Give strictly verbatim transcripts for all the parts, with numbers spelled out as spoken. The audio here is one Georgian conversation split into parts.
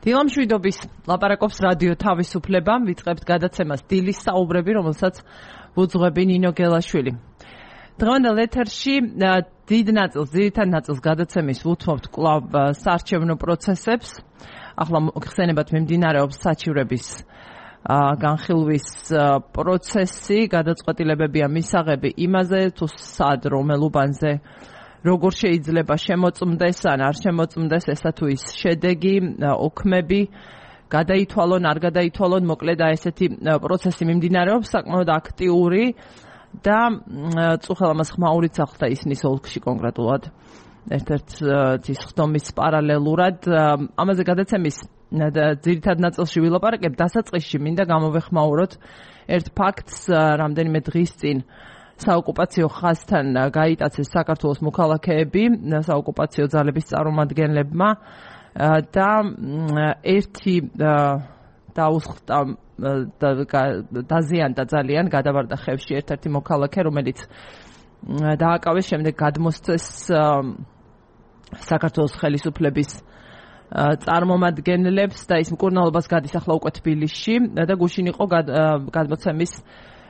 დილამშვიდობის ლაპარაკობს რადიო თავისუფლება, ვიწყებთ გადაცემას დილის საუბრები, რომელსაც ვუძღვები ნინო გელაშვილი. დღევანდელ ეთერში დიდ ნაწილს, ძირითად ნაწილს გადაცემის ვუთმობთ კვლავ საარჩევნო პროცესებს. ახლა ხსენებათ მიმდინარეობს საჩივრების განხილვის პროცესი, გადაწყვეტილებებია მისაღები იმაზე, თუ სად რომელ უბანზე როგორ შეიძლება შემოწმდეს ან არ შემოწმდეს ესა თუ ის შედეგი, ოქმები, გადაითვალონ, არ გადაითვალონ, მოკლედ ესეთი პროცესი მიმდინარეობს, საკმაოდ აქტიური და წუხელამას ხმაურიც ახლა ისნის ოლქში კონკრეტულად ერთ-ერთ ის ხდომის პარალელურად. ამაზე გადაცემის ძირითად ნაწილში ვილაპარაკებ, დასაწყისში მინდა გამოვეხმაუროთ ერთ ფაქტს, რამდენიმე დღის წინ საოკუპაციო ხაზთან გაიტაცეს საქართველოს მოქალაქეები საოკუპაციო ძალების წარმომადგენლებმა და ერთი დაუსხლტა დაზიანდა ძალიან, გადავარდა ხევში ერთ-ერთი მოქალაქე, რომელიც დააკავეს, შემდეგ გადმოსცეს საქართველოს ხელისუფლების წარმომადგენლებს და ის მკურნალობას გადის ახლა უკვე თბილისში და გუშინ იყო გადმოცემის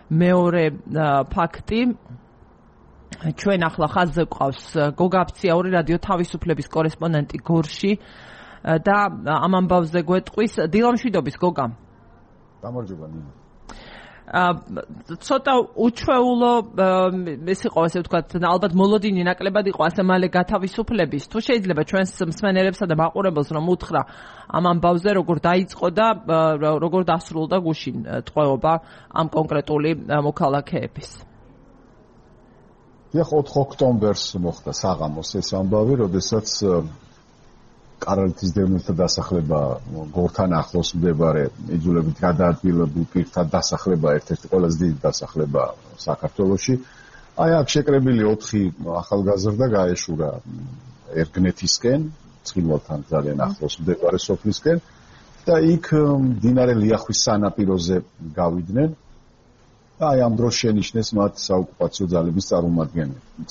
მეორე ფაქტი. ჩვენ ახლა ხაზზე გვყავს გოგა აფციაური რადიო თავისუფლების კორესპონდენტი გორში და ამ ამბავზე გვეტყვის. დილამშვიდობის გოგა. გამარჯობა ნინო. ცოტა უჩვეულო ეს იყო, ასე ვთქვათ, ალბათ მოლოდინი ნაკლებად იყო ასე მალე გათავისუფლების. თუ შეიძლება ჩვენს მსმენელებსა და მაყურებელს რომ უთხრა ამ ამბავზე როგორ დაიწყო და როგორ დასრულდა გუშინ ტყვეობა ამ კონკრეტული მოქალაქეების. ეხლა ოთხ ოქტომბერს მოხდა საღამოს ეს ამბავი, როდესაც კარალეთის დევნილთა დასახლება გორთან ახლოს მდებარე იძულებით გადაადგილებულ პირთა დასახლება, ერთ-ერთი ყველაზე დიდი დასახლება საქართველოში. აი აქ შეკრებილი ოთხი ახალგაზრდა გაეშურა ერგნეთისკენ, ცხინვალთან ძალიან ახლოს მდებარე სოფლისკენ და იქ მდინარე ლიახვის სანაპიროზე გავიდნენ. აი ამ დროს შენიშნეს მათ საოკუპაციო ძალების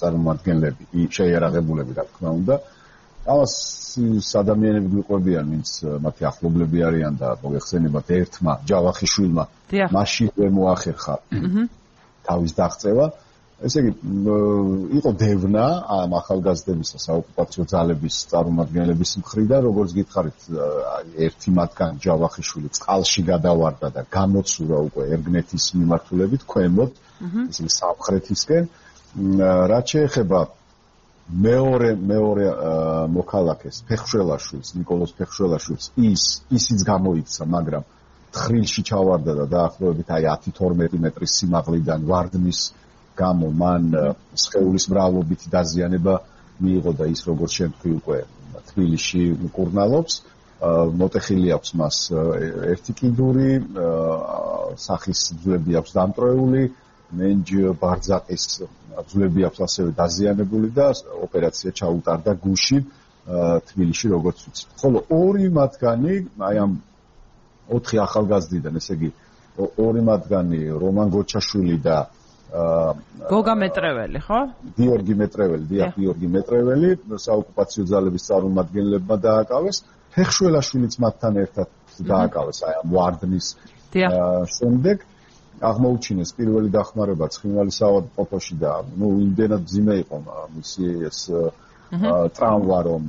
წარმომადგენლები, შეიარაღებულები, რა თქმა უნდა. ამას ადამიანები გვიყვებიან, ვინც მათი ახლობლები არიან და მოგეხსენებათ ერთმა ჯავახიშვილმა მაშინვე მოახერხა თავის დაღწევა. ესე იგი, იყო დევნა ამ ახალგაზრდებისა საოკუპაციო ძალების წარმომადგენლების მხრიდან, როგორც გითხარით, ერთი მათგანი ჯავახიშვილი წყალში გადავარდა და გამოცურა უკვე ერგნეთის მიმართულებით ქვემოთ, ესე იგი სამხრეთისკენ. რაც შეეხება მეორე მეორე მოქალაქეს ფეხშველაშვილს, ნიკოლოზ ფეხშველაშვილს, ის ისიც გამოიქცა, მაგრამ თხრილში ჩავარდა და დაახლოებით აი ათი თორმეტი მეტრის სიმაღლიდან ვარდნის გამო მან სხეულის მრავლობითი დაზიანება მიიღო და ის როგორც შემთხვევი უკვე თბილისში მკურნალობს. მოტეხილი აქვს მას ერთი კიდური, სახის ძვლები აქვს დამტრეული, მენჯ ბარძაყის ძვლები აქვს ასევე დაზიანებული და ოპერაცია ჩაუტარდა გუშინ თბილისში, როგორც ვიცით. ხოლო ორი მათგანი, აი ამ ოთხი ახალგაზრდიდან, ესე იგი ორი მათგანი რომან გოჩაშვილი და გოგა მეტრეველი, ხო? გიორგი მეტრეველი, დიახ, გიორგი მეტრეველი, საოკუპაციო ძალების წარმომადგენლებმა დააკავეს. ფეხშველაშვილიც მათთან ერთად დააკავეს აი ამ ვარდნის შემდეგ. აღმოუჩინეს პირველი დახმარება ცხინვალის საავადმყოფოში და ნუ იმდენად მძიმე იყო მისი ეს ტრავმა, რომ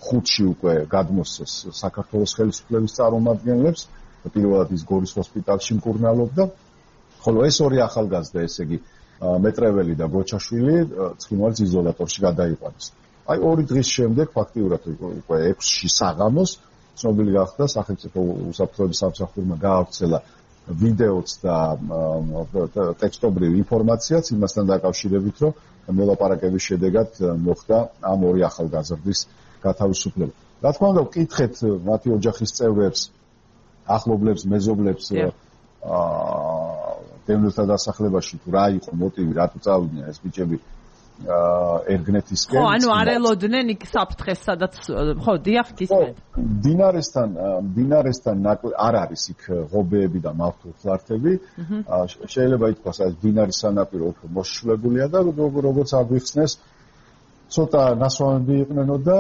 ხუთში უკვე გადმოსცეს საქართველოს ხელისუფლების წარმომადგენლებს, პირველად ის გორის ჰოსპიტალში მკურნალობდა. ხოლო ეს ორი ახალგაზრდა, ესე იგი მეტრეველი და გოჩაშვილი, ცხინვალის იზოლატორში გადაიყვანეს. აი ორი დღის შემდეგ, ფაქტიურად უკვე ექვსში საღამოს, ცნობილი გახდა სახელმწიფო უსაფრთხოების სამსახურმა გაავრცელა ვიდეოც და ტექსტობრივი ინფორმაციაც იმასთან დაკავშირებით, რომ მოლაპარაკების შედეგად მოხდა ამ ორი ახალგაზრდის გათავისუფლება. რა თქმა უნდა, ვკითხეთ მათი ოჯახის წევრებს, ახლობლებს, მეზობლებს დევნილთა დასახლებაში, თუ რა იყო მოტივი, რატო წავიდნენ ეს ბიჭები ერგნეთისკენ. ხო, ანუ არ ელოდნენ იქ საფრთხეს, სადაც ხო, დიახ, გისმენთ. დინარესთან, დინარესთან არ არის იქ ღობეები და მავთულხლართები. შეიძლება ითქვას, ეს დინარის სანაპირო უფრო მოშლებულია და როგორც აგვიხსნეს, ცოტა ნასვამები იყვნენო და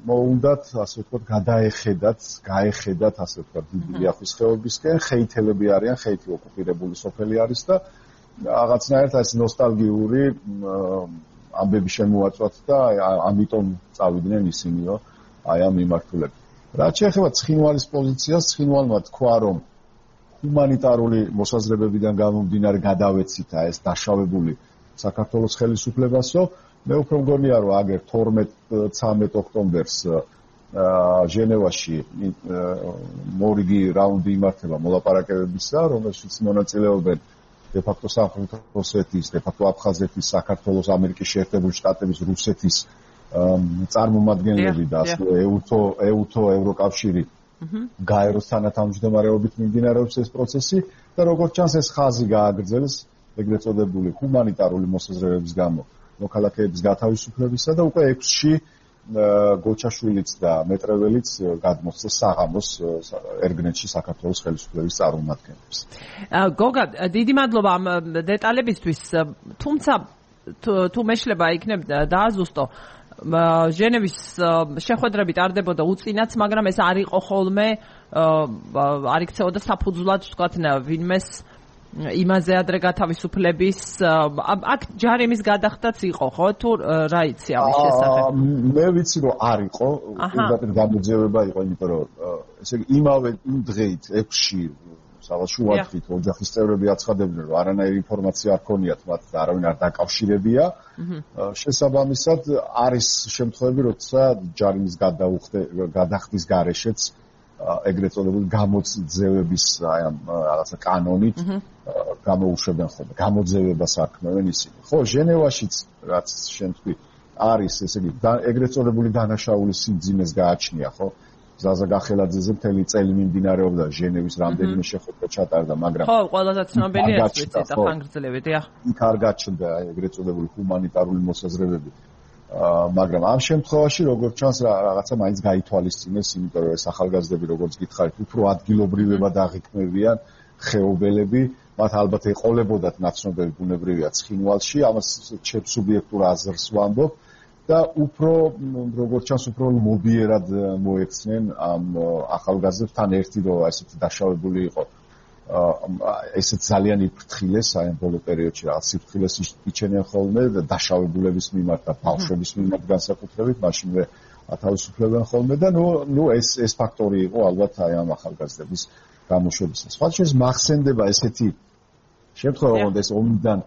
მოუნდათ, ასე ვთქვათ, გადაეხედათ, გაეხედათ, ასე ვთქვათ, დიდი ლიახვის ხეობისკენ, ხეითელები არიან, ხეითი ოკუპირებული სოფელი არის და რაღაცნაირად ეს ნოსტალგიური ამბები შემოაწვათ და ამიტომ წავიდნენ ისინიო აი ამ მიმართულებით. რაც შეეხება ცხინვალის პოზიციას, ცხინვალმა თქვა, რომ ჰუმანიტარული მოსაზრებებიდან გამომდინარე გადავეცითა ეს დაშავებული საქართველოს ხელისუფლებასო. მე უფრო მგონია, რომ აგერ თორმეტ-ცამეტ ოქტომბერს ჟენევაში მორიგი რაუნდი იმართება მოლაპარაკებებისა, რომელშიც მონაწილეობენ de facto სამხრეთ ოსეთის, de facto აფხაზეთის, საქართველოს, ამერიკის შეერთებული შტატების, რუსეთის წარმომადგენლები და ასევე ეუთო, ეუთო, ევროკავშირი გაეროს თანათავმჯდომარეობით მიმდინარეობს ეს პროცესი და როგორც ჩანს ეს ხაზი გააგრძელეს ეგრეთ წოდებული ჰუმანიტარული მოსაზრებების გამო მოქალაქეების გათავისუფლებისა და უკვე ექვსში გოჩაშვილიც და მეტრეველიც გადმოსცეს საღამოს ერგნეთში საქართველოს ხელისუფლების წარმომადგენლებს. გოგა, დიდი მადლობა ამ დეტალებისთვის, თუმცა თუ მეშლება იქნებ დააზუსტო ჟენევის შეხვედრები ტარდებოდა უწინაც, მაგრამ ეს არ იყო ხოლმე არ იქცეოდა საფუძვლად ვთქვათ ვინმეს იმაზე ადრე გათავისუფლების აქ ჯარიმის გადახდაც იყო ხო თუ რა იცი ამის შესახებ? მე ვიცი რომ არ იყო, უბრალოდ გამოძიება იყო, იმიტომ რომ ესე იგი იმავე იმ დღეით ექვსში სადაც შუადღით ოჯახის წევრები აცხადებდნენ რომ არანაირი ინფორმაცია არ ქონიათ მათ და არავინ არ დაკავშირებია. შესაბამისად არის შემთხვევები, როცა ჯარიმის გადახდის გარეშეც ეგრეთ წოდებული გამოძევების აი ამ რაღაცა კანონით გამოუშვებენ ხოლმე, გამოძევება საქმევენ ისინი. ხო, ჟენევაშიც რაც შენ თქვი არის, ესე იგი ეგრეთ წოდებული დანაშაული სიმძიმეს გააჩნია, ხო? ზაზა გახელაძეზე მთელი წელი მიმდინარეობდა ჟენევის რამდენიმე შეხვედრა ჩატარდა, მაგრამ ხო, ყველაზე ცნობილი ეს ვიცი და ხანგრძლივი, დიახ. იქ არ გაჩნდა ეგრეთ წოდებული ჰუმანიტარული მოსაზრებები. მაგრამ ამ შემთხვევაში როგორც ჩანს რაღაცა მაინც გაითვალისწინეს, იმიტომ რომ ეს ახალგაზრდები როგორც გითხარით, უფრო ადგილობრივებად აღიქმებიან ხეობელები, მათ ალბათ ეყოლებოდათ ნაცნობები ბუნებრივია ცხინვალში, ამას ჩემ სუბიექტურ აზრს ვამბობ და უფრო როგორც ჩანს უფრო მობიერად მოექცნენ ამ ახალგაზრდებს თან ერთი რომ ესეთი დაშავებული იყო. ესეც ძალიან იფრთხილეს აი ამ ბოლო პერიოდში რაღაც სიფრთხილეს იჩენიან ხოლმე დაშავებულების მიმართ და ბავშვების მიმართ განსაკუთრებით, მაშინვე ათავისუფლებენ ხოლმე და ნუ ნუ ეს ეს ფაქტორი იყო ალბათ აი ამ ახალგაზრდების გამოშვებისას. სხვა შეს მახსენდება ესეთი შემთხვევა, რომ ეს ომიდან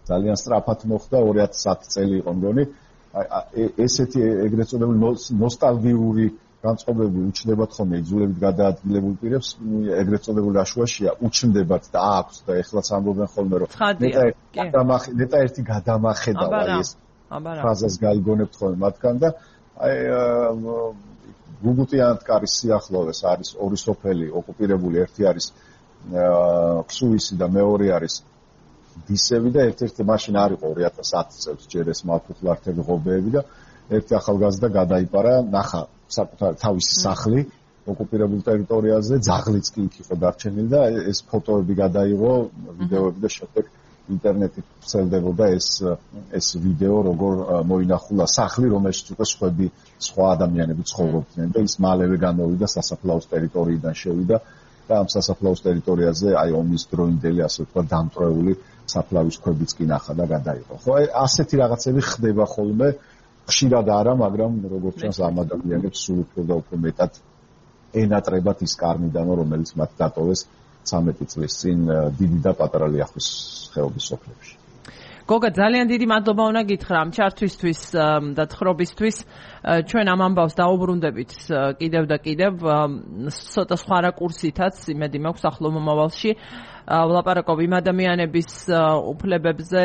ძალიან სწრაფად მოხდა, ორი ათი წელი იყო მგონი, ესეთი ეგრეთ წოდებული ნოსტალგიური განწყობები უჩნდებათ ხოლმე იძულებით გადაადგილებულ პირებს, ეგრეთ წოდებული აშუაშია უჩნდებათ და აქვს და ეხლაც ამბობენ ხოლმე რომ ნეტა ერთი გადამახედავა ეს ფრაზას გაიგონებთ ხოლმე მათგან და აი გუგუტიანთკარის სიახლოვეს არის ორი სოფელი ოკუპირებული, ერთი არის ქსუისი და მეორე არის დისევი და ერთ-ერთი მაშინ არ იყო ორი ათას ათი წელს ჯერ ეს მალფუხლართები ღობეები და ერთი ახალგაზრდა გადაიპარა, ნახა საკუთარ თავისი სახლი ოკუპირებულ ტერიტორიაზე, ძაღლიც კი იქ იყო დარჩენილი და ეს ფოტოები გადაიღო, ვიდეოები და შემდეგ ინტერნეტით ვრცელდებოდა ეს ეს ვიდეო, როგორ მოინახულა სახლი, რომელშიც უკვე სხვები, სხვა ადამიანები ცხოვრობდნენ და ის მალევე გამოვიდა სასაფლაოს ტერიტორიიდან შევიდა და ამ სასაფლაოს ტერიტორიაზე აი ომის დროინდელი ასე ვთქვათ დამტვრეული საფლავის ქვებიც კი ნახა და გადაიღო. ხო, ასეთი რაღაცები ხდება ხოლმე, ხშირად არა, მაგრამ როგორც ჩანს ამ ადამიანებს სულ უფრო და უფრო მეტად ენატრებათ ის კარნიდანო, რომელიც მათ დატოვეს ცამეტი წლის წინ დიდი და პატარა ლიახვის ხეობის სოფლებში. გოგა, ძალიან დიდი მადლობა უნდა გითხრა ამ ჩართვისთვის და თხრობისთვის. ჩვენ ამ ამბავს დაუბრუნდებით კიდევ და კიდევ ცოტა სხვა რაკურსითაც, იმედი მაქვს ახლო მომავალში. ვლაპარაკობ იმ ადამიანების უფლებებზე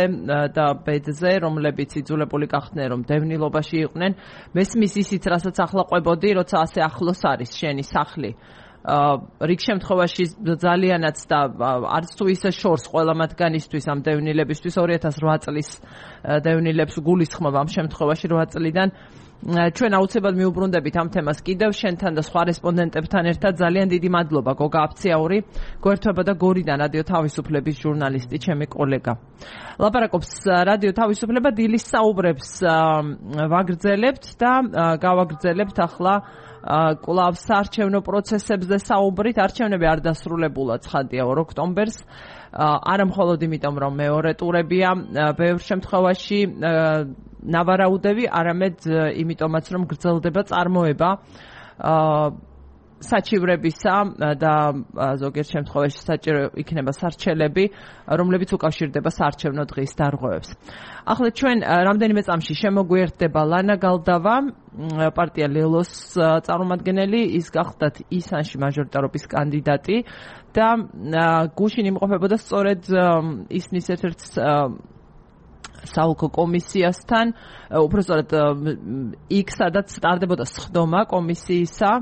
და ბედზე, რომლებიც იძულებული გახდნენ, რომ დევნილობაში იყვნენ. მესმის ისიც, რასაც ახლა ყვებოდი, როცა ასე ახლოს არის შენი სახლი. რიგ შემთხვევაში ძალიანაც და არც თუ ისე შორს ყველა მათგანისთვის ამ დევნილებისთვის ორი ათას რვა წლის დევნილებს გულისხმობ ამ შემთხვევაში რვა წლიდან ჩვენ აუცილებლად მიუბრუნდებით ამ თემას კიდევ შენთან და სხვა რესპონდენტებთან ერთად. ძალიან დიდი მადლობა გოგა აფციაური, გვერდება და გორიდან რადიო თავისუფლების ჟურნალისტი, ჩემი კოლეგა. ლაპარაკობს რადიო თავისუფლება, დილის საუბრებს ვაგრძელებთ და გავაგრძელებთ ახლა კვლავ საარჩევნო პროცესებზე საუბრით. არჩევნები არ დასრულებულა ცხადია ორ ოქტომბერს. არა მხოლოდ იმიტომ, რომ მეორე ტურებია, ბევრ შემთხვევაში ნავარაუდები, არამედ იმიტომაც, რომ გრძელდება წარმოება საჩივრებისა და ზოგიერთ შემთხვევაში საჭირო იქნება სარჩელები, რომლებიც უკავშირდება საარჩევნო დღის დარღვევებს. ახლა ჩვენ რამდენიმე წამში შემოგვიერთდება ლანა გალდავა, პარტია ლელოს წარმომადგენელი, ის გახლდათ ისანში მაჟორიტარობის კანდიდატი და გუშინ იმყოფებოდა სწორედ ისნის ერთ-ერთ საოლქო კომისიასთან, უпростоრად იქ სადაც სტარდებოდა სხდომა კომისიისა.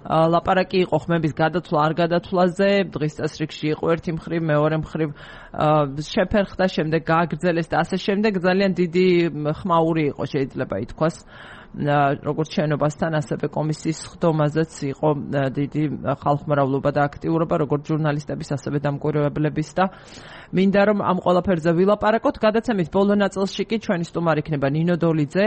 ლაპარაკი იყო ხმების გადათვლა არ გადათვლაზე, დღის წესრიგში იყო ერთი მხრივ, მეორე მხრივ შეფერხდა, შემდეგ გააგრძელეს და ასე შემდეგ. ძალიან დიდი ხმაური იყო, შეიძლება ითქვას, როგორც შენობასთან, ასევე კომისიის სხდომაზეც იყო დიდი ხალხმრავლობა და აქტიურობა, როგორც ჟურნალისტების, ასევე დამკვირვებლების და მინდა რომ ამ ყველაფერზე ვილაპარაკოთ. გადაცემის ბოლო ნაწილში კი ჩვენი სტუმარი იქნება ნინო დოლიძე,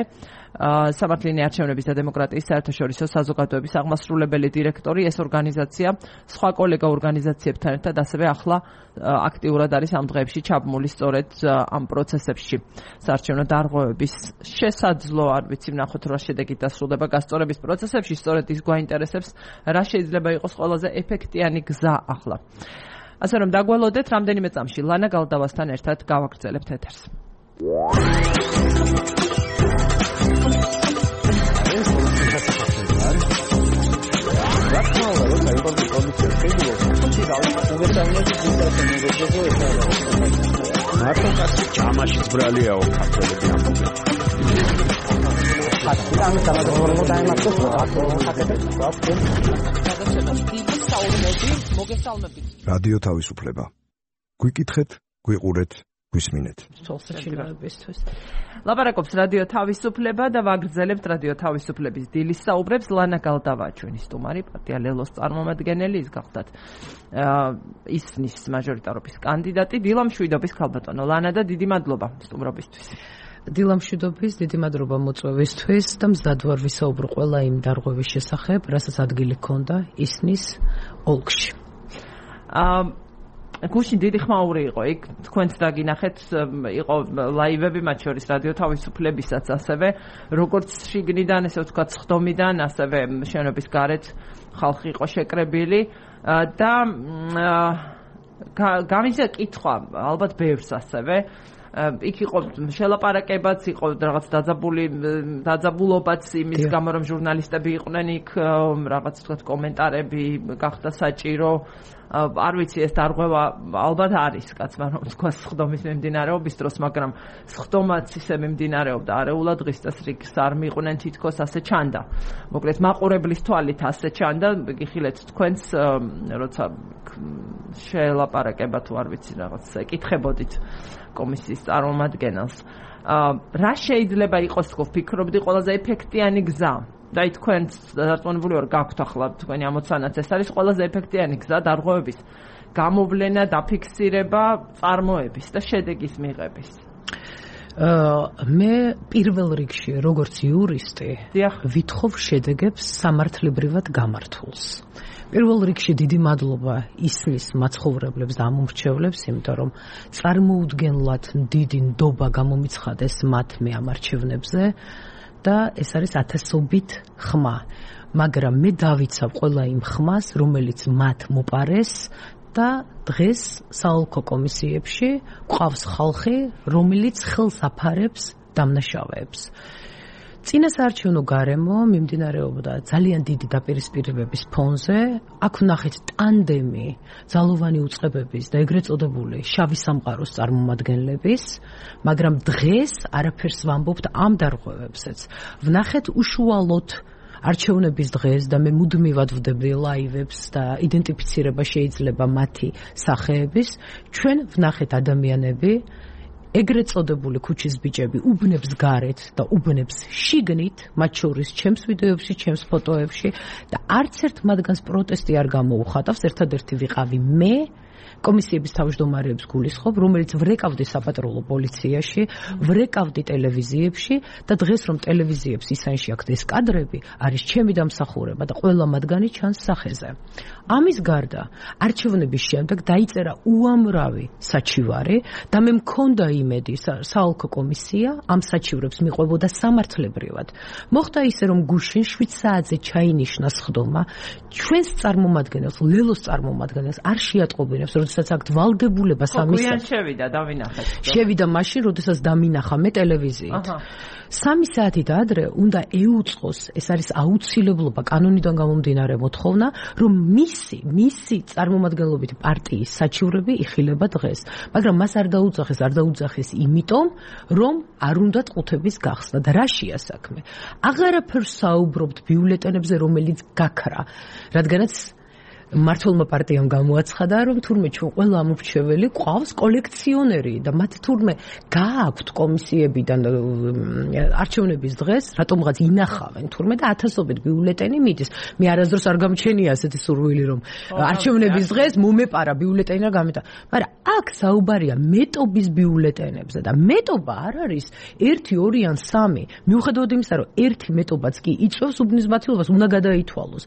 სამართლიანი არჩევნების და დემოკრატიის საერთაშორისო საზოგადოების აღმასრულებელი დირექტორი. ეს ორგანიზაცია სხვა კოლეგა ორგანიზაციებთან ერთად ასევე ახლა აქტიურად არის ამ დღეებში ჩაბმული სწორედ ამ პროცესებში. საარჩევნო დარღვევების შესაძლო, არ ვიცი, ვნახოთ რა შედეგით დასრულდება გასწორების პროცესებში, სწორედ ის გვაინტერესებს, რა შეიძლება იყოს ყველაზე ეფექტიანი გზა ახლა. ასე რომ დაგველოდეთ, რამდენიმე წამში ლანა გალდავასთან ერთად გავაგრძელებთ ეთერს. მარტო კაცი ჯამაში ძბრალიაო ქართველები ამბობენ. ამ გამოგონებულ დაემართოს რადიო თავისუფლება. გვიკითხეთ, გვიყურეთ, გვისმინეთ. ლაპარაკობს რადიო თავისუფლება და ვაგრძელებთ რადიო თავისუფლების დილის საუბრებს. ლანა გალდავა ჩვენი სტუმარი, პარტია ლელოს წარმომადგენელი, ის გახლდათ ისნის მაჟორიტარობის კანდიდატი, დილამშვიდობის ქალბატონო ლანა და დიდი მადლობა სტუმრობისთვის. დილამშვიდობის, დიდი მადლობა მოწვევისთვის და მზად ვარ ვისაუბრო ყველა იმ დარღვევის შესახებ, რასაც ადგილი ჰქონდა ისნის ოლქში. აა გუშინ დიდი ხმაური იყო იქ, თქვენც დაგინახეთ, იყო ლაივები, მათ შორის რადიო თავისუფლებისაც, ასევე როგორც შიგნიდან, ესე ვთქვათ, სხდომიდან, ასევე შენობის გარეთ ხალხი იყო შეკრებილი და გამიზა კითხვა, ალბათ ბევრს ასევე იქ იყო შელაპარაკებაც, იყო რაღაც დაძაბული დაძაბულობაც იმის გამო, რომ ჟურნალისტები იყვნენ იქ, რაღაც თქვათ კომენტარები გახდა საჭირო. არ ვიცი, ეს დარღვევა ალბათ არის კაცმა რომ თქვა სხდომის მიმდინარეობის დროს, მაგრამ სხდომაც ისე მიმდინარეობდა არეულად, დღის წესრიგს არ მიყვნენ თითქოს, ასე ჩანდა. მოკლედ მაყურებლის თვალით ასე ჩანდა, გიხილეთ თქვენს, როცა შელაპარაკება თუ არ ვიცი რაღაც ეკითხებოდით კომისიის წარმომადგენელს. რა შეიძლება იყოს, თქო, ვფიქრობდი ყველაზე ეფექტიანი გზა? და თქვენ დარწმუნებული ვარ, გაქვთ ახლა თქვენი ამოცანაც, ეს არის ყველაზე ეფექტიანი გზა დარღვევების გამოვლენა, დაფიქსირება, წარმოების და შედეგის მიღების. მე პირველ რიგში, როგორც იურისტი, ვითხოვ შედეგებს სამართლებრივად გამართულს. პირველ რიგში დიდი მადლობა ისნის მაცხოვრებლებს და ამომრჩევლებს, იმიტომ რომ წარმოუდგენლად დიდი ნდობა გამომიცხადეს მათ მე ამ არჩევნებზე და ეს არის ათასობით ხმა, მაგრამ მე დავიცავ ყველა იმ ხმას, რომელიც მათ მოპარეს და დღეს საოლქო კომისიებში გვყავს ხალხი, რომელიც ხელს აფარებს დამნაშავეებს. წინა საარჩევნო გარემო მიმდინარეობდა ძალიან დიდი დაპირისპირებების ფონზე, აქ ვნახეთ ტანდემი ძალოვანი უწყებების და ეგრეთ წოდებული შავი სამყაროს წარმომადგენლების, მაგრამ დღეს არაფერს ვამბობთ ამ დარღვევებსაც. ვნახეთ უშუალოდ არჩევნების დღეს და მე მუდმივად ვდები ლაივებს და იდენტიფიცირება შეიძლება მათი სახეების, ჩვენ ვნახეთ ადამიანები ეგრეთ წოდებული ქუჩის ბიჭები უბნებს გარეთ და უბნებს შიგნით, მათ შორის ჩემს ვიდეოებში, ჩემს ფოტოებში და არც ერთ მათგანს პროტესტი არ გამოუხატავს, ერთადერთი ვიყავი მე კომისიების თავმჯდომარეებს გულისხმობ, რომელიც ვრეკავდი საპატრულო პოლიციაში, ვრეკავდი ტელევიზიებში და დღეს რომ ტელევიზიებს ისანში აქვს ეს კადრები, არის ჩემი დამსახურება და ყველა მათგანი ჩანს სახეზე. ამის გარდა, არჩევნების შემდეგ დაიწერა უამრავი საჩივარი და მე მქონდა იმედი, საოლქო კომისია ამ საჩივრებს მიყვებოდა სამართლებრივად. მოხდა ისე, რომ გუშინ შვიდ საათზე ჩაინიშნა სხდომა, ჩვენს წარმომადგენელს, ლელოს წარმომადგენელს არ შეატყობინებს, როდესაც აქ ვალდებულება სამის. ხო, შევიდა, დავინახეთ. შევიდა მაშინ, როდესაც დამინახა მე ტელევიზიით. სამი საათით ადრე უნდა ეუწყოს, ეს არის აუცილებლობა კანონიდან გამომდინარე მოთხოვნა, რომ მისი, მისი წარმომადგენლობითი პარტიის საჩივრები იხილება დღეს. მაგრამ მას არ დაუძახეს, არ დაუძახეს იმიტომ, რომ არ უნდა ყუთების გახსნა და რაშია საქმე. აღარაფერს საუბრობთ ბიულეტენებზე, რომელიც გაქრა, რადგანაც მართლმა პარტიამ გამოაცხადა, რომ თურმე ჩვენ ყველა ამორჩეველი ყავს კოლექციონერი და მათ თურმე გააქვთ კომისიებიდან არჩევნების დღეს, რატომღაც ინახავენ თურმე და ათასობით ბიულეტენი მიდის. მე არასდროს არ გამჩენია ასეთი სურვილი, რომ არჩევნების დღეს მომეპარა ბიულეტენი და გამეტა. მაგრამ აქ საუბარია მეტობის ბიულეტენებზე და მეტობა არ არის ერთი, ორი ან სამი. მიუხედავად იმისა, რომ ერთი მეტობაც კი იწვევს უბნის მართლობას, უნდა გადაითვალოს.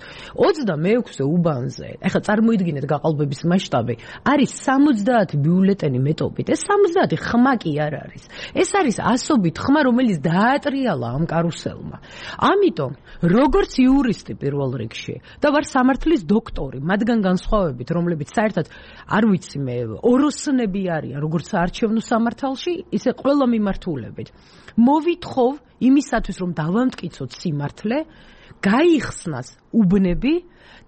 ოცდამეექვსე უბანზე ეხლა წარმოიდგინეთ გაყალბების მასშტაბი, არის სამოცდაათი ბიულეტენი მეტობით. ეს სამოცდაათი ხმა კი არ არის. ეს არის ასობით ხმა, რომელიც დაატრიალა ამ კარუსელმა. ამიტომ, როგორც იურისტი პირველ რიგში და ვარ სამართლის დოქტორი, მათგან განსხვავებით, რომლებიც საერთოდ არ ვიცი მე, ოროსნები არიან, როგორც საარჩევნო სამართალში, ისე ყველა მიმართულებით. მოვითხოვ იმისათვის, რომ დავამტკიცოთ სიმართლე, გაიხსნას უბნები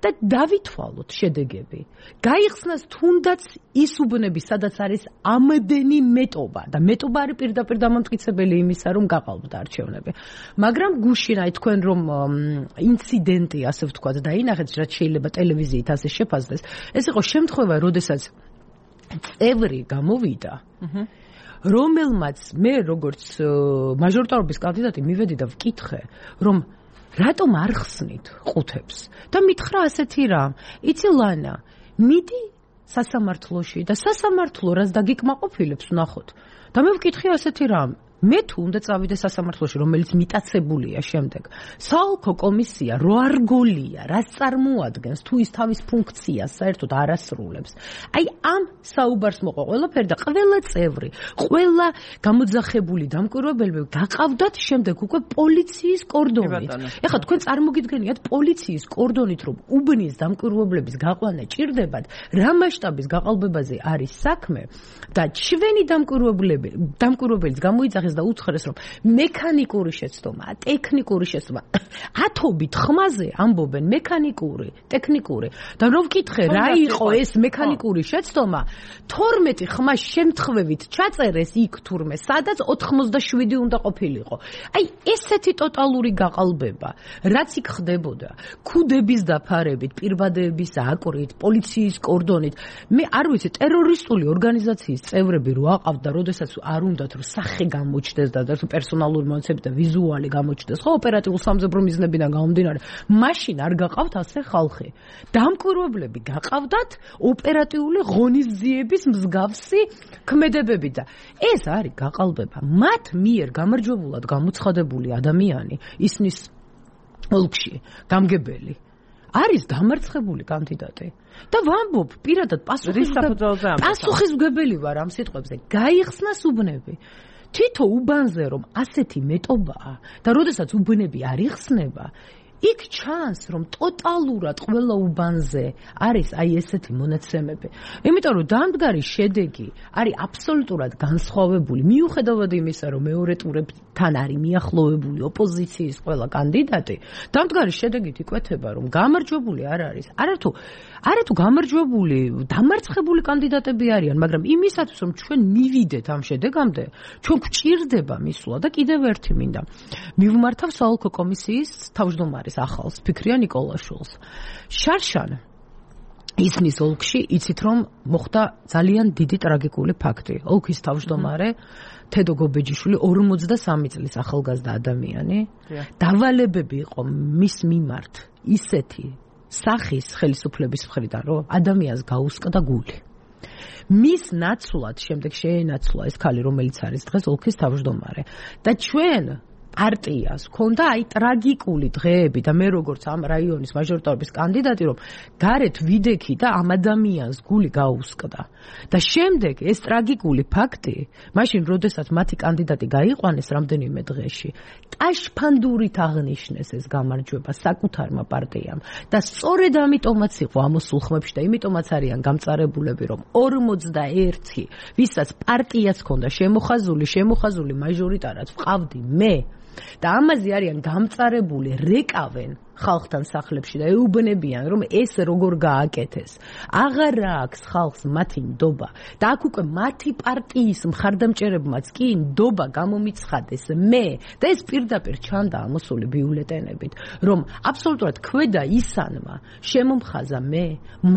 და დავითვალოთ შედეგები. გაიხსნას თუნდაც ის უბნები, სადაც არის ამდენი მეტობა და მეტობა არის პირდაპირ დამამტკიცებელი იმისა, რომ გაყალბდა არჩევნები. მაგრამ გუშინ აი თქვენ რომ ინციდენტი, ასე ვთქვათ, დაინახეთ, რაც შეიძლება ტელევიზიით ასე შეფასდეს. ეს იყო შემთხვევა, როდესაც წევრი გამოვიდა, რომელმაც მე როგორც მაჟორიტარობის კანდიდატი მივედი და ვკითხე, რომ რატომ არ ხსნით ყუთებს? და მითხრა ასეთი რამ, იცი ლანა, მიდი სასამართლოში და სასამართლო რას დაგიკმაყოფილებს ვნახოთ. და მე ვკითხე ასეთი რამ, მე თუ უნდა წავიდე სასამართლოში, რომელიც მიტაცებულია შემდეგ. საოლქო კომისია რო არ გოლია, რაც წარმოადგენს, თუ ის თავის ფუნქციას საერთოდ არ ასრულებს. აი ამ საუბარს მოყვა ყველაფერი და ყველა წევრი, ყველა გამოძახებული დამკვირვებელი გაყავდათ შემდეგ უკვე პოლიციის კორდონით. ეხლა თქვენ წარმოგიდგენიათ პოლიციის კორდონით, რომ უბნის დამკვირვებლების გაყვანა ჭირდებათ, რა მასშტაბის გაყალბებაზე არის საქმე და ჩვენი დამკვირვებლები, დამკვირვებელიც გამოიძახეს და უცხრეს, რომ მექანიკური შეცდომა, ტექნიკური შეცდომა, ათობით ხმაზე ამბობენ მექანიკური, ტექნიკური. და რომ ვკითხე, რა იყო ეს მექანიკური შეცდომა, თორმეტი ხმა შემთხვევით ჩაწერეს იქ თურმე, სადაც ოთხმოცდაშვიდი უნდა ყოფილიყო. აი ესეთი ტოტალური გაყალბება, რაც იქ ხდებოდა, ქუდების დაფარებით, პირბადეების აკვრით, პოლიციის კორდონით, მე არ ვიცი, ტერორისტული ორგანიზაციის წევრები რო აყავთ და როდესაც არ უნდათ რომ სახე გამო და პერსონალური მონაცემები და ვიზუალი გამოჩნდეს, ხო, ოპერატიულ სამზებრო მიზნებიდან გამომდინარე, მაშინ არ გაყავთ ასე ხალხი. დამკვირვებლები გაყავდათ ოპერატიული ღონისძიების მსგავსი ქმედებები და ეს არის გაყალბება. მათ მიერ გამარჯვებულად გამოცხადებული ადამიანი, ისნის ოლქში გამგებელი, არის დამარცხებული კანდიდატი. და ვამბობ, პირადად პასუხისმგებელი ვარ ამ სიტყვებზე. გაიხსნას უბნები. თვითო უბანზე რომ ასეთი მეტობაა და როდესაც უბნები არ იხსნება, იქ ჩანს რომ ტოტალურად ყველა უბანზე არის აი ესეთი მონაცემები. იმიტომ რომ დამდგარი შედეგი არის აბსოლუტურად განსხვავებული, მიუხედავად იმისა, რომ მეორე ტურებთან არის მიახლოვებული ოპოზიციის ყველა კანდიდატი, დამდგარი შედეგით იკვეთება, რომ გამარჯვებული არ არის. არათუ არათუ გამარჯვებული, დამარცხებული კანდიდატები არიან, მაგრამ იმისათვის, რომ ჩვენ მივიდეთ ამ შედეგამდე, ჩვენ გვჭირდება მისვლა და კიდევ ერთი მინდა. მივმართავ საოლქო კომისიის თავმჯდომარის ახალს, ფიქრია ნიკოლაშვილს. შარშან ისნის ოლქში იცით რომ მოხდა ძალიან დიდი ტრაგიკული ფაქტი. ოლქის თავმჯდომარე თედო გობეჯიშვილი ორმოცდასამი წლის ახალგაზრდა ადამიანი. დავალებები იყო მის მიმართ ისეთი სახის ხელისუფლების მხრიდან, რომ ადამიანს გაუსკდა გული. მის ნაცვლად შემდეგ შეენაცვლა ეს ქალი, რომელიც არის დღეს ოლქის თავმჯდომარე. და ჩვენ პარტიას ქონდა აი ტრაგიკული დღეები და მე როგორც ამ რაიონის მაჟორიტარობის კანდიდატი რომ გარეთ ვიდექი და ამ ადამიანს გული გაუსკდა და შემდეგ ეს ტრაგიკული ფაქტი მაშინ როდესაც მათი კანდიდატი გაიყვანეს რამდენიმე დღეში ტაშფანდურით აღნიშნეს ეს გამარჯვება საკუთარმა პარტიამ და სწორედ ამიტომაც იყო ამოსულ ხმებში და იმიტომაც არიან გამწარებულები რომ ორმოცდაერთი ვისაც პარტიაც ქონდა შემოხაზული შემოხაზული მაჟორიტარად ვყავდი მე და ამაზე არიან გამწარებული რეკავენ ხალხთან სახლებში და ეუბნებიან რომ ეს როგორ გააკეთეს აღარ აქვს ხალხს მათი ნდობა და აქ უკვე მათი პარტიის მხარდამჭერებმაც კი ნდობა გამომიცხადეს მე და ეს პირდაპირ ჩანდა ამოსული ბიულეტენებით რომ აბსოლუტურად ქვედა ისანმა შემომხაზა მე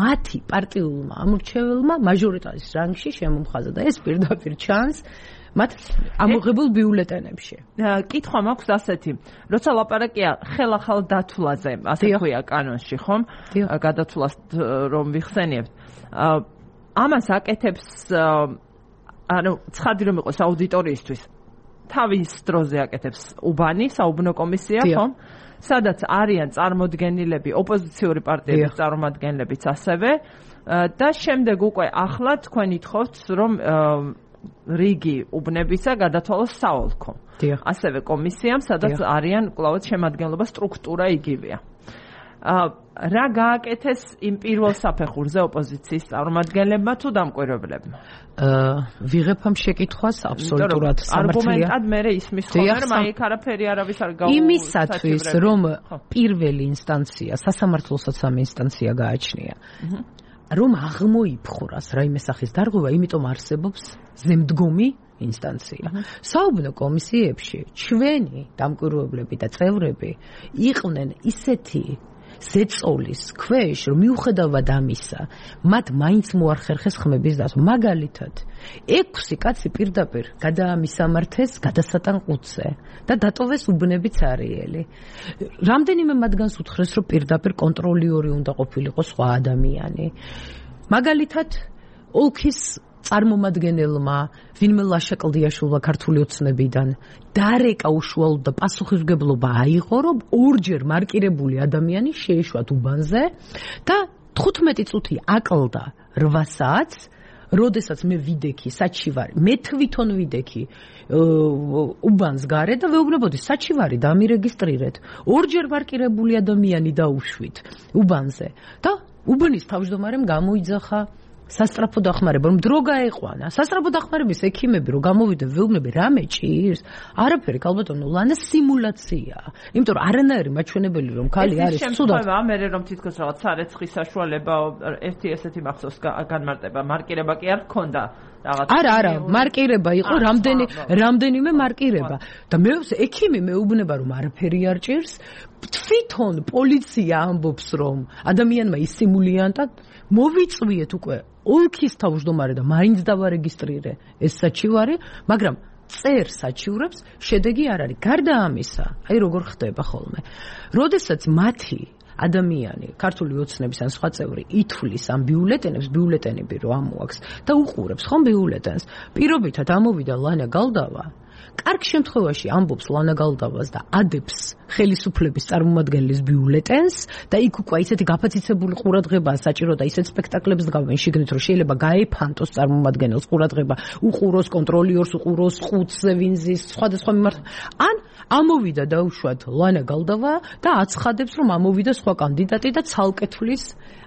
მათი პარტიულმა ამორჩეველმა მაჟორიტარის რანგში შემომხაზა და ეს პირდაპირ ჩანს მათ ამოღებულ ბიულეტენებში. კითხვა მაქვს ასეთი, როცა ლაპარაკია ხელახალ დათვლაზე, ასე ქვია კანონში, ხომ? გადათვლას რომ ვიხსენიებთ. ამას აკეთებს ანუ ცხადი რომ იყოს აუდიტორიისთვის. თავის დროზე აკეთებს უბანი, საუბნო კომისია, ხომ? სადაც არიან წარმოდგენილები, ოპოზიციური პარტიების წარმოადგენლებიც ასევე და შემდეგ უკვე ახლა თქვენ ითხოვთ რომ რიგი უბნებისა გადათვალოს საოლქო. ასევე კომისიამ, სადაც არიან კლავად შემადგენლობა სტრუქტურა იგივეა. რა გააკეთეს იმ პირველ საფეხურზე ოპოზიციის წარმომადგენლებმა თუ დამკვირვებლებმა? ვიღებ ამ შეკითხვას აბსოლუტურად სამართლია. არგუმენტად მე ისმის ხოლმე რომ აი აქ არაფერი არავის არ გაუ იმისათვის რომ პირველი ინსტანცია სასამართლოსაც ამ ინსტანცია გააჩნია. რომ აღმოიფხვრას რაიმე სახის დარღვევა, იმიტომ არსებობს ზემდგომი ინსტანცია. საუბნო კომისიებში ჩვენი დამკვირვებლები და წევრები იყვნენ ისეთი ზეწოლის ქვეშ, რომ მიუხედავად ამისა, მათ მაინც მოახერხეს ხმების დასვა. მაგალითად, ექვსი კაცი პირდაპირ გადაამისამართეს გადასატან ყუთზე და დატოვეს უბნები ცარიელი. რამდენიმე მათგანს უთხრეს, რომ პირდაპირ კონტროლიური უნდა ყოფილიყო სხვა ადამიანი. მაგალითად, ოლქის წარმომადგენელმა ვინმე ლაშა კლდიაშვილმა ქართული ოცნებიდან დარეკა უშუალოდ და პასუხისმგებლობა აიღო, რომ ორჯერ მარკირებული ადამიანი შეეშვათ უბანზე და თხუთმეტი წუთი აკლდა რვა საათს, როდესაც მე ვიდექი საჩივარი, მე თვითონ ვიდექი უბანს გარე და ვეუბნებოდი საჩივარი დამირეგისტრირეთ. ორჯერ მარკირებული ადამიანი დაუშვით უბანზე და უბნის თავმჯდომარემ გამოიძახა სასტრაფო დახმარება, რომ დრო გაეყვანა. სასტრაფო დახმარების ექიმები რომ გამოვიდნენ, ვეუბნები რამე ჭირს? არაფერი, ქალბატონო, ლანა სიმულაციაა. იმიტომ რომ არანაირი მაჩვენებელი რომ ქალი არის ცუდად. ეს შემთხვევა მე რომ თითქოს რაღაც სარეცხის საშუალება ერთი ესეთი მახსოვს განმარტება, მარკირება კი არ ჰქონდა. არა, არა, მარკირება იყო, რამდენი რამდენიმე მარკირება. და მე ექიმი მეუბნება რომ არაფერი არ ჭირს. თვითონ პოლიცია ამბობს რომ ადამიანმა ისიმულიანტა მოვიწვიეთ უკვე ოლქის თავმჯდომარე და მაინც დავარეგისტრირე ეს საჩივარი, მაგრამ წერ საჩივრებს შედეგი არ არის. გარდა ამისა, აი როგორ ხდება ხოლმე. როდესაც მათი ადამიანი, ქართული ოცნების ან სხვა წევრი ითვლის ამ ბიულეტენებს, ბიულეტენები რომ ამოაქვს და უყურებს ხომ ბიულეტენს, პირობითად ამოვიდა ლანა გალდავა. კარგ შემთხვევაში ამბობს ლანა გალდავას და ადებს ხელისუფლების წარმომადგენლის ბიულეტენს და იქ უკვე ისეთი გაფაციცებული ყურადღებაა საჭირო და ისეთ სპექტაკლებს დგავენ შიგნით რომ შეიძლება გაეფანტოს წარმომადგენელს ყურადღება, უყუროს კონტროლიორს, უყუროს ხუთზე ვინზის სხვადასხვა მიმართ. ან ამოვიდა დაუშვათ ლანა გალდავა და აცხადებს რომ ამოვიდა სხვა კანდიდატი და ცალკე თვლის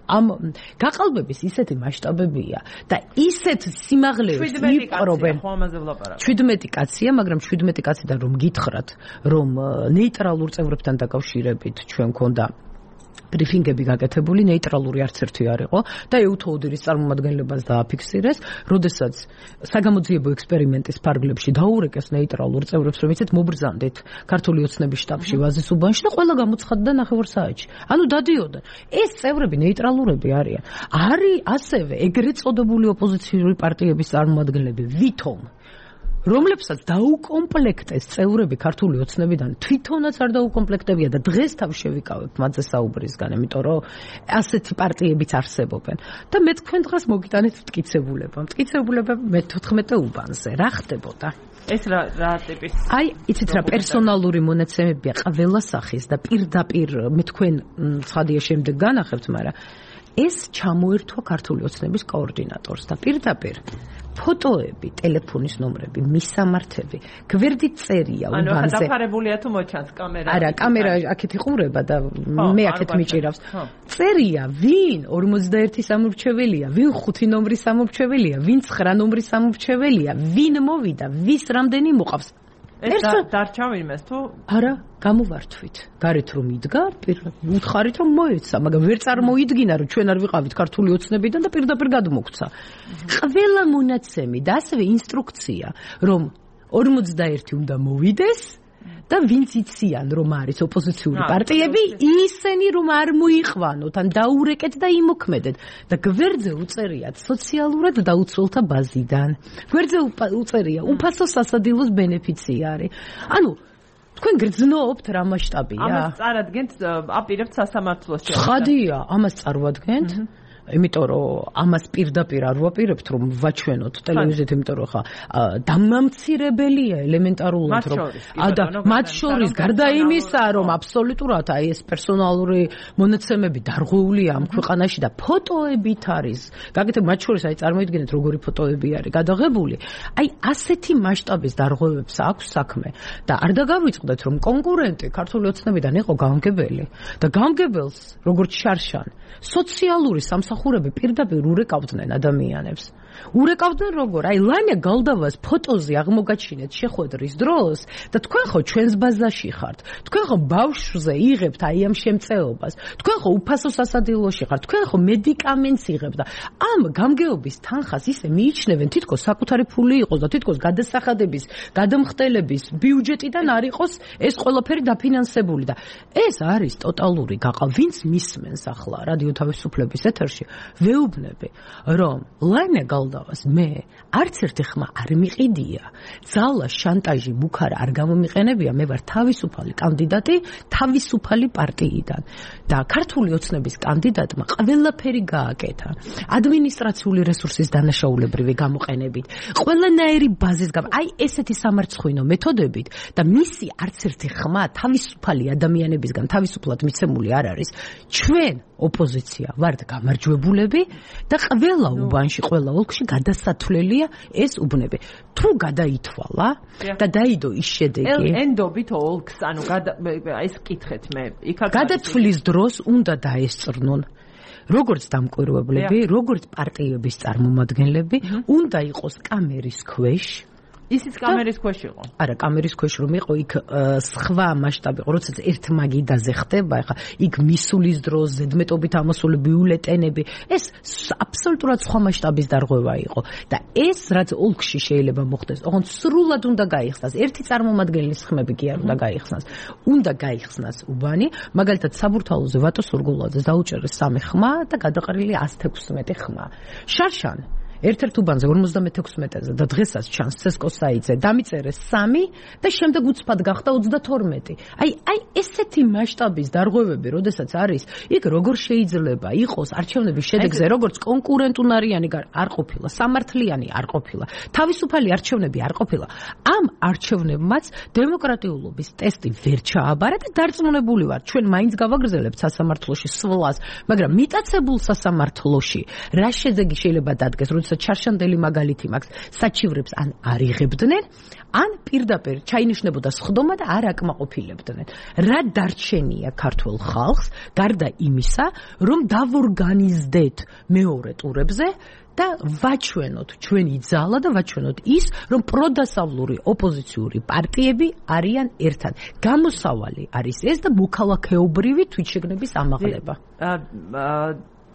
ამ გაყალბების ისეთი მასშტაბებია და ისეთ სიმაღლეებს იპყრობენ. შვიდმეტი კაცია, მაგრამ შვიდმეტი კაციდან რომ გითხრათ, რომ ნეიტრალურ წევრებთან დაკავშირებით ჩვენ გქონდა ბრიფინგები გაკეთებული, ნეიტრალური არც ერთი არ იყო და ეუთოუდირის წარმომადგენლებას დააფიქსირეს, როდესაც საგამოძიებო ექსპერიმენტის ფარგლებში დაურეკეს ნეიტრალურ წევრებს, რომ იცით მობრძანდეთ ქართული ოცნების შტაბში ვაზის უბანში და ყველა გამოცხადდა ნახევარ საათში. ანუ დადიოდნენ. ეს წევრები ნეიტრალურები არიან. არის ასევე ეგრეთ წოდებული ოპოზიციური პარტიების წარმომადგენლები, ვითომ რომლებსაც დაუკომპლექტეს წევრები ქართული ოცნებიდან თვითონაც არ დაუკომპლექტებია და დღეს თავ შევიკავებთ მათზე საუბრისგან, იმიტომ რომ ასეთი პარტიებიც არსებობენ. და მე თქვენ დღეს მოგიტანეთ მტკიცებულება. მტკიცებულება მეთოთხმეტე უბანზე. რა ხდებოდა? ეს რა რა ტიპის? აი, იცით რა პერსონალური მონაცემებია ყველა სახის და პირდაპირ მე თქვენ ცხადია შემდეგ განახებთ, მაგრამ ეს ჩამოერთვა ქართული ოცნების კოორდინატორს და პირდაპირ ფოტოები, ტელეფონის ნომრები, მისამართები, გვერდით წერია უბანზე. ანუ ახლა დაფარებულია თუ მოჩანს კამერა? არა, კამერა აქეთ იყურება და მე აქეთ მიჭირავს. წერია, ვინ ორმოცდაერთი სამორჩეველია, ვინ ხუთი ნომრის სამორჩეველია, ვინ ცხრა ნომრის სამორჩეველია, ვინ მოვიდა, ვის რამდენი მოყავს. ეს დარჩა ვინმეს თუ? არა, გამოვართვით. გარეთ რომ იდგა, უთხარით რომ მოეცა, მაგრამ ვერ წარმოიდგინა რომ ჩვენ არ ვიყავით ქართული ოცნებიდან და პირდაპირ გადმოგცა. ყველა მონაცემი და ასევე ინსტრუქცია, რომ ორმოცდაერთი უნდა მოვიდეს და ვინც იციან რომ არის ოპოზიციური პარტიები, ისინი რომ არ მოიყვანოთ, ან დაურეკეთ და იმოქმედეთ. და გვერდზე უწერიათ სოციალურად დაუცველთა ბაზიდან. გვერდზე უწერია უფასო სასადილოს ბენეფიციარი. ანუ თქვენ გრძნობთ რა მასშტაბია? ამას წარადგენთ, აპირებთ სასამართლოს შეერთა. ხადია, ამას წარვადგენთ. იმიტომ რომ ამას პირდაპირ არ ვაპირებთ რომ ვაჩვენოთ ტელევიზიით, იმიტომ რომ ხა დამამცირებელია ელემენტარულად რომ და მათ შორის გარდა იმისა რომ აბსოლუტურად აი ეს პერსონალური მონაცემები დარღვეულია ამ ქვეყანაში და ფოტოებით არის. გაკეთებ მათ შორის აი წარმოიდგინეთ როგორი ფოტოები არის გადაღებული. აი ასეთი მასშტაბის დარღვევებს აქვს საქმე და არ დაგავიწყდეთ რომ კონკურენტი ქართული ოცნებიდან იყო გამგებელი და გამგებელს როგორც შარშან სოციალური სამსახურები პირდაპირ ურეკავდნენ ადამიანებს. ურეკავდნენ როგორ? აი ლანია გალდავას ფოტოზე აღმოგაჩინეთ შეხვედრის დროს და თქვენ ხო ჩვენს ბაზაში ხართ. თქვენ ხო ბავშვზე იღებთ აი ამ შემწეობას. თქვენ ხო უფასო სასადილოში ხართ. თქვენ ხო მედიკამენტს იღებთ და ამ გამგეობის თანხას ისე მიიჩნევენ თითქოს საკუთარი ფული იყოს და თითქოს გადასახადების, გადამხდელების ბიუჯეტიდან არ იყოს ეს ყველაფერი დაფინანსებული და ეს არის ტოტალური გაყა. ვინც მისმენს ახლა რადიო თავისუფლების ეთერში, ვეუბნები რომ ლანია გალდავას მე არც ერთი ხმა არ მიყიდია, ძალა, შანტაჟი, მუქარა არ გამომიყენებია, მე ვარ თავისუფალი კანდიდატი თავისუფალი პარტიიდან და ქართული ოცნების კანდიდატმა ყველაფერი გააკეთა ადმინისტრაციული რესურსის დანაშაულებრივი გამოყენებით, ყველანაირი ბაზის გამ, აი ესეთი სამარცხვინო მეთოდებით და მისი არც ერთი ხმა თავისუფალი ადამიანებისგან თავისუფლად მიცემული არ არის. ჩვენ ოპოზიცია ვართ გამარჯვებულები და ყველა უბანში, ყველა ოლქში გადასათვლელია ეს უბნები. თუ გადაითვალა და დაიდო ის შედეგი. ენდობით ოლქს, ანუ ეს კითხეთ მე. გადათვლის დროს უნდა დაესწრნონ როგორც დამკვირვებლები, როგორც პარტიების წარმომადგენლები, უნდა იყოს კამერის ქვეშ. ისიც კამერის ქვეშ იყო. არა, კამერის ქვეშ რომ იყო, იქ სხვა მასშტაბი იყო, როდესაც ერთმაგიდაზე ხდება, ახლა იქ მისulis დროს ზედმეტობით ამოსული ბიულეტენები, ეს აბსოლუტურად სხვა მასშტაბის დარღვევა იყო და ეს რაც ოლქში შეიძლება მოხდეს, ოღონდ სრულად უნდა გაიხსნას. ერთი წარმომადგენლის ხმები კი არ უნდა გაიხსნას. უნდა გაიხსნას უბანი, მაგალითად საბურთალოზე ვატო სურგულაძეს დაუჭერეს სამი ხმა და გადაყრილი ასი თექვსმეტი ხმა. შარშან ერთ-ერთ უბანზე ორმოცდამეთექვსმეტეზე და დღესაც ჩანს ცესკოსაიძე დამიწერეს სამი და შემდეგ უცბად გახდა ოცდათორმეტი. აი, აი ესეთი მასშტაბის დარღვევები, როდესაც არის, იქ როგორ შეიძლება იყოს არჩევნების შედეგზე, როგორც კონკურენტუნარიანი არ ყოფილა, სამართლიანი არ ყოფილა, თავისუფალი არჩევნები არ ყოფილა. ამ არჩევნებმაც დემოკრატიულობის ტესტი ვერ ჩააბარა და დარწმუნებული ვარ, ჩვენ მაინც გავაგრძელებთ სასამართლოში სვლას, მაგრამ მიტაცებულ სასამართლოში რა შედეგი შეიძლება დადგეს, ჩარშანდელი მაგალითი მაქვს, საჩივრებს ან არ იღებდნენ, ან პირდაპირ ჩაინიშნებოდა სხდომა და არ აკმაყოფილებდნენ. რა დარჩენია ქართულ ხალხს, გარდა იმისა, რომ დავორგანიზდეთ მეორე ტურებზე და ვაჩვენოთ ჩვენი ძალა და ვაჩვენოთ ის, რომ პროდასავლური ოპოზიციური პარტიები არიან ერთად. გამოსავალი არის ეს და მოქალაქეობრივი თვითშეგნების ამაღლება.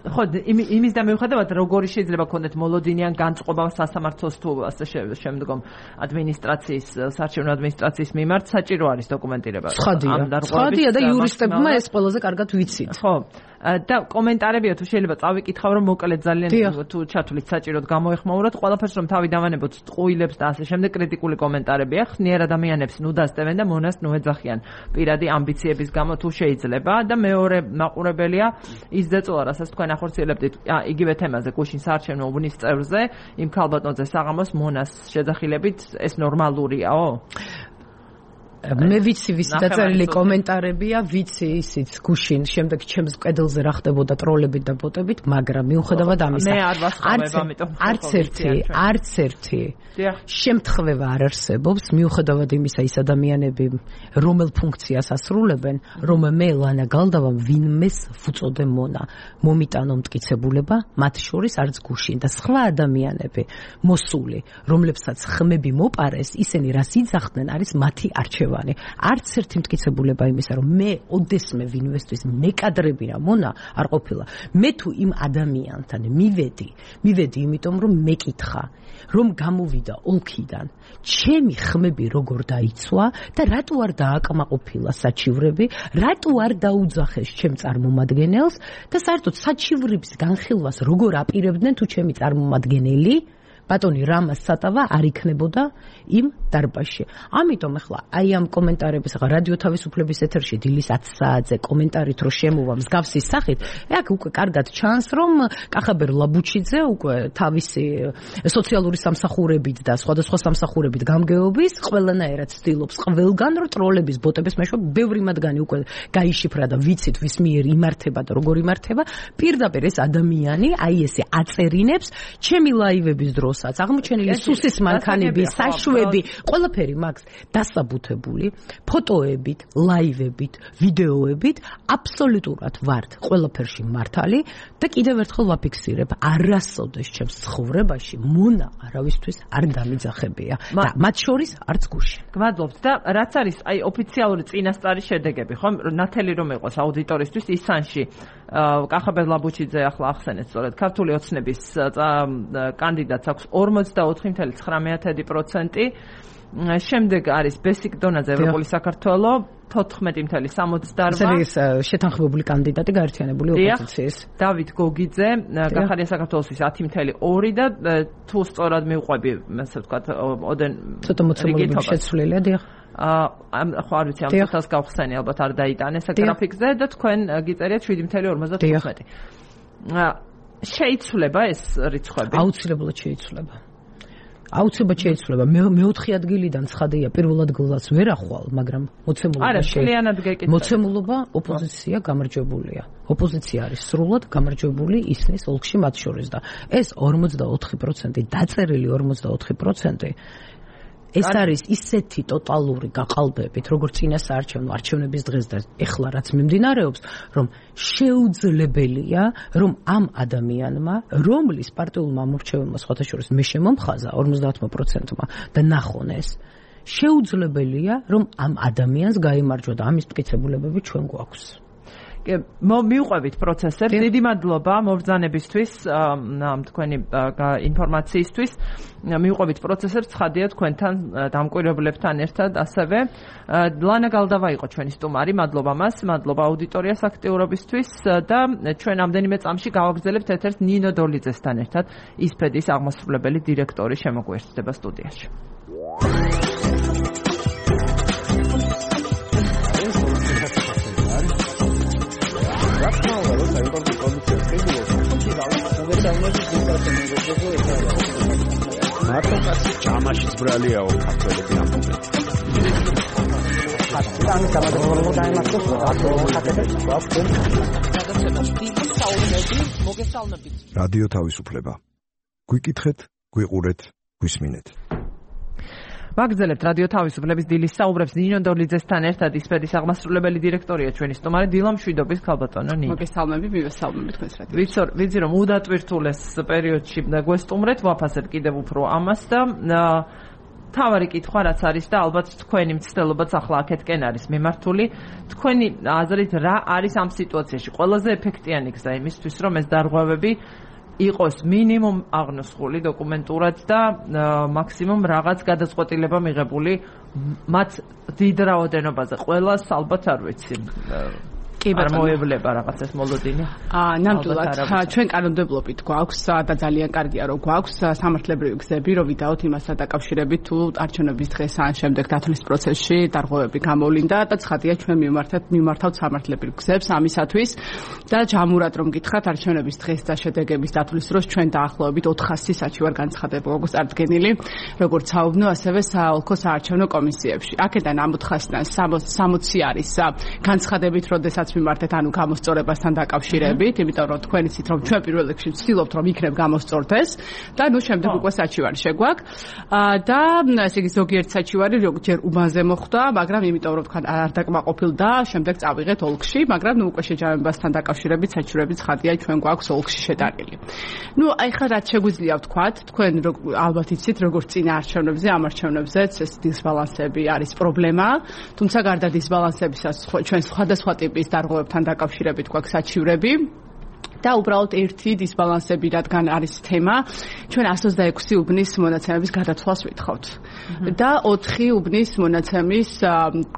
ხო, იმის და მიუხედავად როგორი შეიძლება ქონდეთ მოლოდინიან განწყობა სასამართლოს თუ ასე შემდგომ ადმინისტრაციის, საარჩევნო ადმინისტრაციის მიმართ საჭირო არის დოკუმენტირება. ცხადია და იურისტებმა ეს ყველაზე კარგად ვიცით. ხო, და კომენტარებია თუ შეიძლება წავიკითხავ რომ მოკლედ ძალიან თუ ჩათვლით საჭიროდ გამოეხმაუროთ ყველაფერს რომ თავი დავანებოთ ტყუილებს და ასე შემდეგ კრიტიკული კომენტარებია ხნიერ ადამიანებს ნუ დასტევენ და მონას ნუ ეძახიან პირადი ამბიციების გამო თუ შეიძლება და მეორე მაყურებელია ის ზეწოლა რასაც თქვენ ახორციელებდით იგივე თემაზე გუშინ საარჩევნო უბნის წევრზე იმ ქალბატონზე საღამოს მონას შეძახილებით ეს ნორმალურიაო მე ვიცი ვის დაწერილი კომენტარებია, ვიცი ისიც გუშინ, შემდეგ ჩემს კედელზე რა ხდებოდა ტროლებით და ბოტებით, მაგრამ მიუხედავად ამისა, მე არ ვასწავლებ, ამიტომ არც ერთი, არც ერთი შემთხვევა არ არსებობს, მიუხედავად იმისა, ის ადამიანები რომელ ფუნქციას ასრულებენ, რომ მე ლანა გალდავამ ვინმეს ვუწოდე მონა, მომიტანო მტკიცებულება, მათ შორის არც გუშინ და სხვა ადამიანები მოსული, რომლებსაც ხმები მოპარეს, ისინი რას იძახდნენ, არის მათი არჩევა. არც ერთი მტკიცებულება იმისა, რომ მე ოდესმე ვინვესტვის მეკადრები რა მონა არ ყოფილა. მე თუ იმ ადამიანთან მივედი, მივედი იმიტომ რომ მეკითხა, რომ გამოვიდა ოლქიდან, ჩემი ხმები როგორ დაიცვა და რატო არ დააკმაყოფილა საჩივრები, რატო არ დაუძახეს ჩემ წარმომადგენელს და საერთოდ საჩივრების განხილვას როგორ აპირებდნენ თუ ჩემი წარმომადგენელი ბატონი რამას სატავა არ იქნებოდა იმ დარბაზში. ამიტომ ახლა აი ამ კომენტარების ახლა რადიო თავისუფლების ეთერში დილის ათი საათზე კომენტარით რო შემოვა მსგავსი სახით, აქ უკვე კარგად ჩანს რომ კახაბერ ლაბუჩიძე უკვე თავისი სოციალური სამსახურებით და სხვადასხვა სამსახურებით გამგეობის ყველანაირად ცდილობს ყველგან რო ტროლების ბოტების მეშვეობით ბევრი მათგანი უკვე გაიშიფრა და ვიცით ვის მიერ იმართება და როგორ იმართება. პირდაპირ ეს ადამიანი აი ესე აწერინებს ჩემი ლაივების დროს აღმოჩენილი სუსის მანქანები, საშვები, ყველაფერი მაქვს დასაბუთებული, ფოტოებით, ლაივებით, ვიდეოებით, აბსოლუტურად ვართ ყველაფერში მართალი და კიდევ ერთხელ ვაფიქსირებ, არასოდეს ჩემს ცხოვრებაში მონა არავისთვის არ დამიძახებია და მათ შორის არც გუშინ. გმადლობთ და რაც არის აი ოფიციალური წინასწარი შედეგები, ხომ? ნათელი რომ იყოს აუდიტორისთვის ისანში კახაბერ ლაბუჩიძე ახლა ახსენეთ სწორედ ქართული ოცნების კანდიდატს აქვს ორმოცდაოთხი წუთი ცხრამეტი პროცენტი. შემდეგ არის ბესიკ დონაძე ევროპული საქართველო თოთხმეტი წუთი სამოცდაორვა. ეს შეთანხმებული კანდიდატი გაერთიანებული ოპოზიციის. დავით გოგიძე კახალია საქართველოსთვის ათი წუთი ორი და თუ სწორად მივყვები, ასე ვთქვათ, ოდენ ცოტა მოცემულობა შეცვლილია, დიახ. აა ხო არ ვიცი ამ ცოტას გავხსენი ალბათ არ დაიტანეს გრაფიკზე და თქვენ გიწერიათ შვიდი წუთი ორმოცდათხუთმეტი. შეიცვლება ეს რიცხვები? აუცილებლად შეიცვლება. აუცილებლად შეიცვლება. მე მეოთხე ადგილიდან ცხადია პირველ ადგილას ვერ ახვალ, მაგრამ მოცემულობა არა, ძალიანად გეკითხა. მოცემულობა ოპოზიცია გამარჯვებულია. ოპოზიცია არის სრულად გამარჯვებული ისნის ოლქში მათ შორის და ეს ორმოცდაოთხი პროცენტი დაწერილი ორმოცდაოთხი პროცენტი ეს არის ისეთი ტოტალური გაყალბებით, როგორც წინა საარჩევნო არჩევნების დღეს და ეხლა რაც მიმდინარეობს, რომ შეუძლებელია, რომ ამ ადამიანმა, რომლის პარტიულმა ამორჩეველმა სხვათა შორის მე შემომხაზა ორმოცდაათმა პროცენტმა და ნახონ ეს, შეუძლებელია, რომ ამ ადამიანს გაიმარჯვა და ამის მტკიცებულებები ჩვენ გვაქვს. მივყვებით პროცესებს. დიდი მადლობა მობრძანებისთვის, თქვენი ინფორმაციისთვის. მივყვებით პროცესებს, ცხადია თქვენთან დამკვირვებლებთან ერთად ასევე. ლანა გალდავა იყო ჩვენი სტუმარი, მადლობა მას, მადლობა აუდიტორიას აქტიურობისთვის და ჩვენ ამდენიმე წამში გავაგრძელებთ ეთერს ნინო დოლიძესთან ერთად, ისფედის აღმასრულებელი დირექტორი შემოგვიერთდება სტუდიაში. ჩამაში ბრალიაო ქართველები ამბობენ. ამ გამარჯვებული დაიმართოს რადიო თავისუფლება. გვიკითხეთ, გვიყურეთ, გვისმინეთ. ვაგრძელებთ რადიო თავისუფლების დილის საუბრებს ნინო დოლიძესთან ერთად ისფედის აღმასრულებელი დირექტორია ჩვენი სტუმარი დილა მშვიდობის ქალბატონო ნინო. მოგესალმები, მივესალმები თქვენს რადიო. ვიცი, ვიცი რომ უდატვირთულეს პერიოდში გვესტუმრეთ, ვაფასებ კიდევ უფრო ამას და თავარი კითხვა რაც არის და ალბათ თქვენი მცდელობაც ახლა აქეთკენ არის მიმართული. თქვენი აზრით რა არის ამ სიტუაციაში ყველაზე ეფექტიანი გზა იმისთვის რომ ეს დარღვევები იყოს მინიმუმ აღნოსხული დოკუმენტურად და მაქსიმუმ რაღაც გადაწყვეტილება მიღებული მათ დიდ რაოდენობაზე. ყველას ალბათ არ ვიცი. წარმოევლება რაღაც ეს მოლოდინი. აა ნამდვილად ჩვენ კანონმდებლობით გვაქვს და ძალიან კარგია რომ გვაქვს სამართლებრივი გზები რომ ვიდაოთ იმასთან დაკავშირებით თუ არჩევნების დღეს ან შემდეგ დათვლის პროცესში დარღვევები გამოვლინდა და ცხადია ჩვენ მიმართეთ მიმართავთ სამართლებრივ გზებს ამისათვის და ჯამურად რომ გითხრათ არჩევნების დღეს და შედეგების დათვლის დროს ჩვენ დაახლოებით ოთხასი საჩივარ განცხადება გვაქვს წარდგენილი როგორც საუბნო ასევე საოლქო საარჩევნო კომისიებში. აქედან ამ ოთხასიდან სამოცი არის განცხადებით როდესაც მიმართეთ ანუ გამოსწორებასთან დაკავშირებით, იმიტომ რომ თქვენ იცით რომ ჩვენ პირველ რიგში ვცდილობთ რომ იქნებ გამოსწორდეს და ნუ შემდეგ უკვე საჩივარი შეგვაქვს და ესე იგი ზოგიერთ საჩივარი ჯერ უბანზე მოხვდა, მაგრამ იმიტომ რომ თქვენ არ დაკმაყოფილდა, შემდეგ წავიღეთ ოლქში, მაგრამ ნუ უკვე შეჯამებასთან დაკავშირებით საჩივრები ცხადია ჩვენ გვაქვს ოლქში შეტანილი. ნუ აი ხა რაც შეგვიძლია ვთქვათ, თქვენ ალბათ იცით როგორც წინა არჩევნებზე, ამ არჩევნებზეც ეს დისბალანსები არის პრობლემა, თუმცა გარდა დისბალანსებისაც ჩვენ სხვადასხვა ტიპის დარღვევებთან დაკავშირებით გვაქვს საჩივრები და უბრალოდ ერთი დისბალანსები რადგან არის თემა, ჩვენ εκατს ოცდაექვსი უბნის მონაცემების გადათვლას ვითხოვთ. და ოთხი უბნის მონაცემის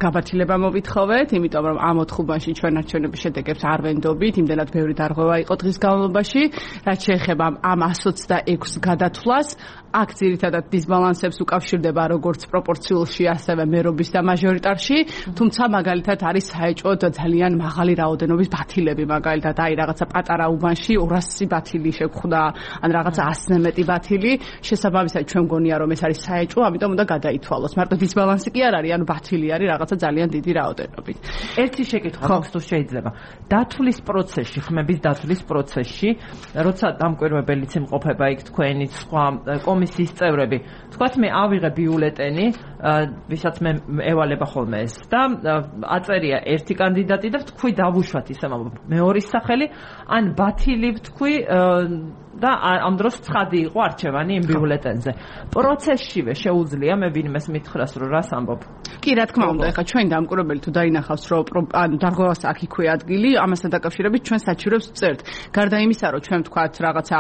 გაბათილება მოვითხოვეთ, იმიტომ რომ ამ ოთხ უბანში ჩვენ არჩევნების შედეგებს არ ვენდობით, იმდენად ბევრი დარღვევა იყო დღის განმავლობაში, რაც შეეხება ამ εκατს ოცდაექვსს გადათვლას, აქ ძირითადად დისბალანსებს უკავშირდება როგორც პროპორციულში, ასევე მერობის და მაჟორიტარში, თუმცა მაგალითად არის საეჭვოდ ძალიან მაღალი რაოდენობის ბათილები, მაგალითად აი რაღაცა პატარა უბანში ორასი ბათილი შეგვხვდა, ან რაღაცა ასზე მეტი ბათილი, შესაბამისად ჩვენ მგონია რომ ეს არის საეჭვო, ამიტომ უნდა გადაითვალოს. მარტო დისბალანსი კი არ არის, ანუ ბათილი არის რაღაცა ძალიან დიდი რაოდენობით. ერთი შეკითხვა მაქვს თუ შეიძლება. დათვლის პროცესში, ხმების დათვლის პროცესში, როცა დამკვირვებელიც იმყოფება იქ თქვენი სხვა კომისიის წევრები, თქვათ მე ავიღე ბიულეტენი, ვისაც მე ევალება ხოლმე ეს და აწერია ერთი კანდიდატი და თქვი დავუშვათ ისე მეორის სახელი, ან ბათილი ვთქვი და ამ დროს ცხადი იყო არჩევანი იმ ბიულეტენზე. პროცესშივე შეუძლია მე ვინმეს მითხრას რომ რას ამბობ? კი, რა თქმა უნდა, ეხლა ჩვენ დამკვირვებელი თუ დაინახავს რომ ანუ დარღვევას აქ იქვე ადგილი, ამასთან დაკავშირებით ჩვენ საჩივრებს ვწერთ. გარდა იმისა, რომ ჩვენ ვთქვათ რაღაცა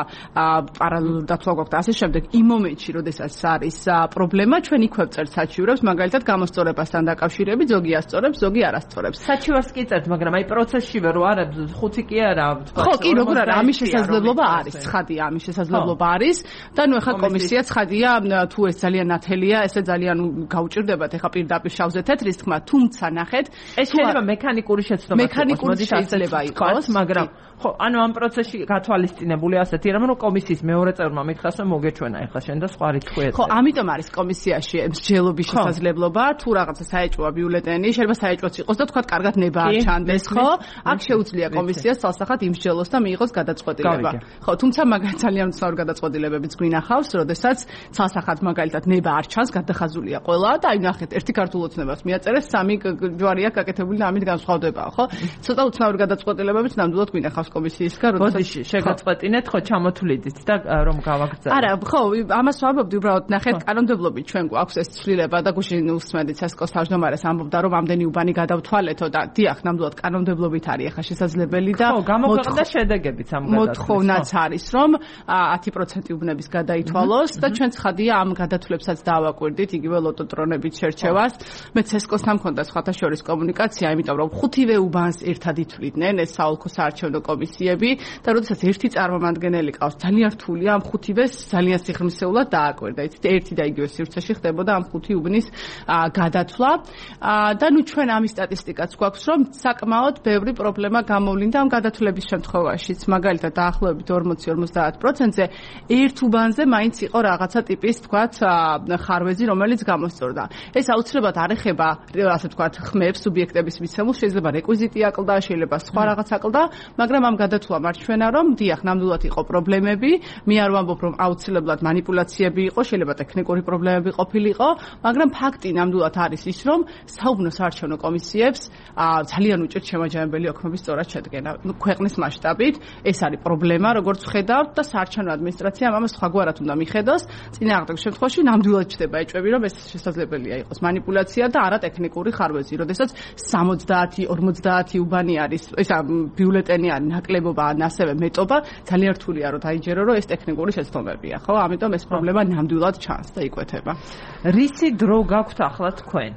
პარალელურად დათვლა გვაქვს და ასე შემდეგ, იმ მომენტში, როდესაც არის პრობლემა, ჩვენ იქვე ვწერთ საჩივრებს, მაგალითად გამოსწორებასთან დაკავშირებით, ზოგი ასწორებს, ზოგი არ ასწორებს. საჩივარს კი წერთ, მაგრამ აი პროცესშივე რო არა, ხუთი კი არა, ვთქვათ. ხო, კი, როგორ არა, ამის შესაძლებლობა არის. ცხადია, ამის შესაძლებლობა არის და ნუ ეხლა კომისია ცხადია, თუ ეს ძალიან ნათელია, ესე ძალიან გაუჭირდებათ ეხლა პირდაპირ შავზე თეთრის თქმა, თუმცა ნახეთ, ეს შეიძლება მექანიკური შეცდომა იყოს, მექანიკური შეიძლება იყოს, მაგრამ ხო, ანუ ამ პროცესში გათვალისწინებული ასეთი რამ რომ კომისიის მეორე წევრმა მითხრას რომ მოგეჩვენა ეხლა შენ და სხვა რიცხვი ეწე. ხო, ამიტომ არის komisიაში მსჯელობის შესაძლებლობა, თუ რაღაცა საეჭვოა ბიულეტენი, შეიძლება საეჭვოც იყოს და თქვათ კარგად ნება არ ჩანდეს, ხო? აქ შეუძლია კომისიას თვალსახად იმსჯელოს და მიიღოს გადაწყვეტილება. ხო, თუმცა მაგალითად ძალიან მცნაური გადაწყვეტილებებიც გვინახავს, როდესაც თვალსახად მაგალითად ნება არ ჩანს, გადახაზულია ყველა და აი ნახეთ, ერთი ქართულ ოცნებას მიაწერეს, სამი ჯვარია გაკეთებული და ამით განსხვავდებაა, ხო? ცოტა უცნაური გადაწყვეტილებებიც ნამდვილად გვინახავს კომისიისგან, როდესაც შეგაწყვეტინეთ, ხო, ჩამოთვლიდით და რომ გავაგრძელოთ. არა, ხო, ამას ვამბობდი, უბრალოდ ნახეთ, კანონმდებლობით ჩვენ გვაქვს ეს ცვლილება და გუშინ უსმენდით სესკოს თავმჯდომარეს ამბობდა, რომ ამდენი უბანი გადავთვალეთო და დიახ, ნამდვილად კანონმდებლობით არის ახლა შესაძლებელი და ხო, გამოქვეყნდა შედეგებიც ამ გადაწყვეტილებას. მოთხოვნაც არის, რომ ათი პროცენტი უბნების გადაითვალოს და ჩვენ ცხადია ამ გადათვლებსაც დავაკვირდით, იგივე ლოტოტრონებით შერჩევას. მე სესკოსთან მქონდა სხვათა შორის კომუნიკაცია, იმიტომ რომ ხუთივე უბანს ერთად ითვლიდნენ ეს საოლქო საარჩევნო კომისიები და როდესაც ერთი წარმომადგენელი ყავს, ძალიან რთულია ამ ხუთივეს ძალიან სიღრმისეულად დააკვირდა. იცით, ერთი და იგივე სივრცეში ხდებოდა ამ ხუთი უბნის გადათვლა და ნუ ჩვენ ამის სტატისტიკაც გვაქვს, რომ საკმაოდ ბევრი პრობლემა გამოვლინდა ამ გადათვლების შემთხვევაშიც. მაგალითად, დაახლოებით ორმოცი ორმოცდაათ პროცენტზე ერთ უბანზე მაინც იყო რაღაცა ტიპის, თქვათ, ხარვეზი, რომელიც გამოსწორდა. ეს აუცილებლად არ ეხება, ასე ვთქვათ, ხმებს, სუბიექტების მიცემულს, შეიძლება რეკვიზიტი აკლდა, შეიძლება სხვა რაღაც აკლდა, მაგრამ ამ გადათვლამ არჩვენა, რომ დიახ, ნამდვილად იყო პრობლემები, მე არ ვამბობ, რომ აუცილებლად манипуляციები იყო, შეიძლება ტექნიკური პრობლემები ყოფილიყო, მაგრამ ფაქტი ნამდვილად არის ის, რომ საუბნო საარჩევნო კომისიებს ძალიან უჭირთ შემაჯამებელი ოქმების სწორად შედგენა. ქვეყნის მასშტაბით ეს არის პრობლემა, როგორც ვხედავთ და საარჩევნო ადმინისტრაციამ ამას სხვაგვარად უნდა მიხედოს. წინააღმდეგ შემთხვევაში ნამდვილად ჩდება ეჭვები, რომ ეს შესაძლებელია იყოს манипуляცია და არა ტექნიკური ხარვეზი, როდესაც სამოცდაათი ორმოცდაათი უბანი არის, ესა ბიულეტენი არის ნაკლებობა ან ასევე მეტობა, ძალიან რთულია რომ დაიჯერო, რომ ეს ტექნიკური შეცდომებია, ხო? ამიტომ ეს პრობლემა ნამდვილად ჩანს და იკვეთება. რისი დრო გაქვთ ახლა თქვენ?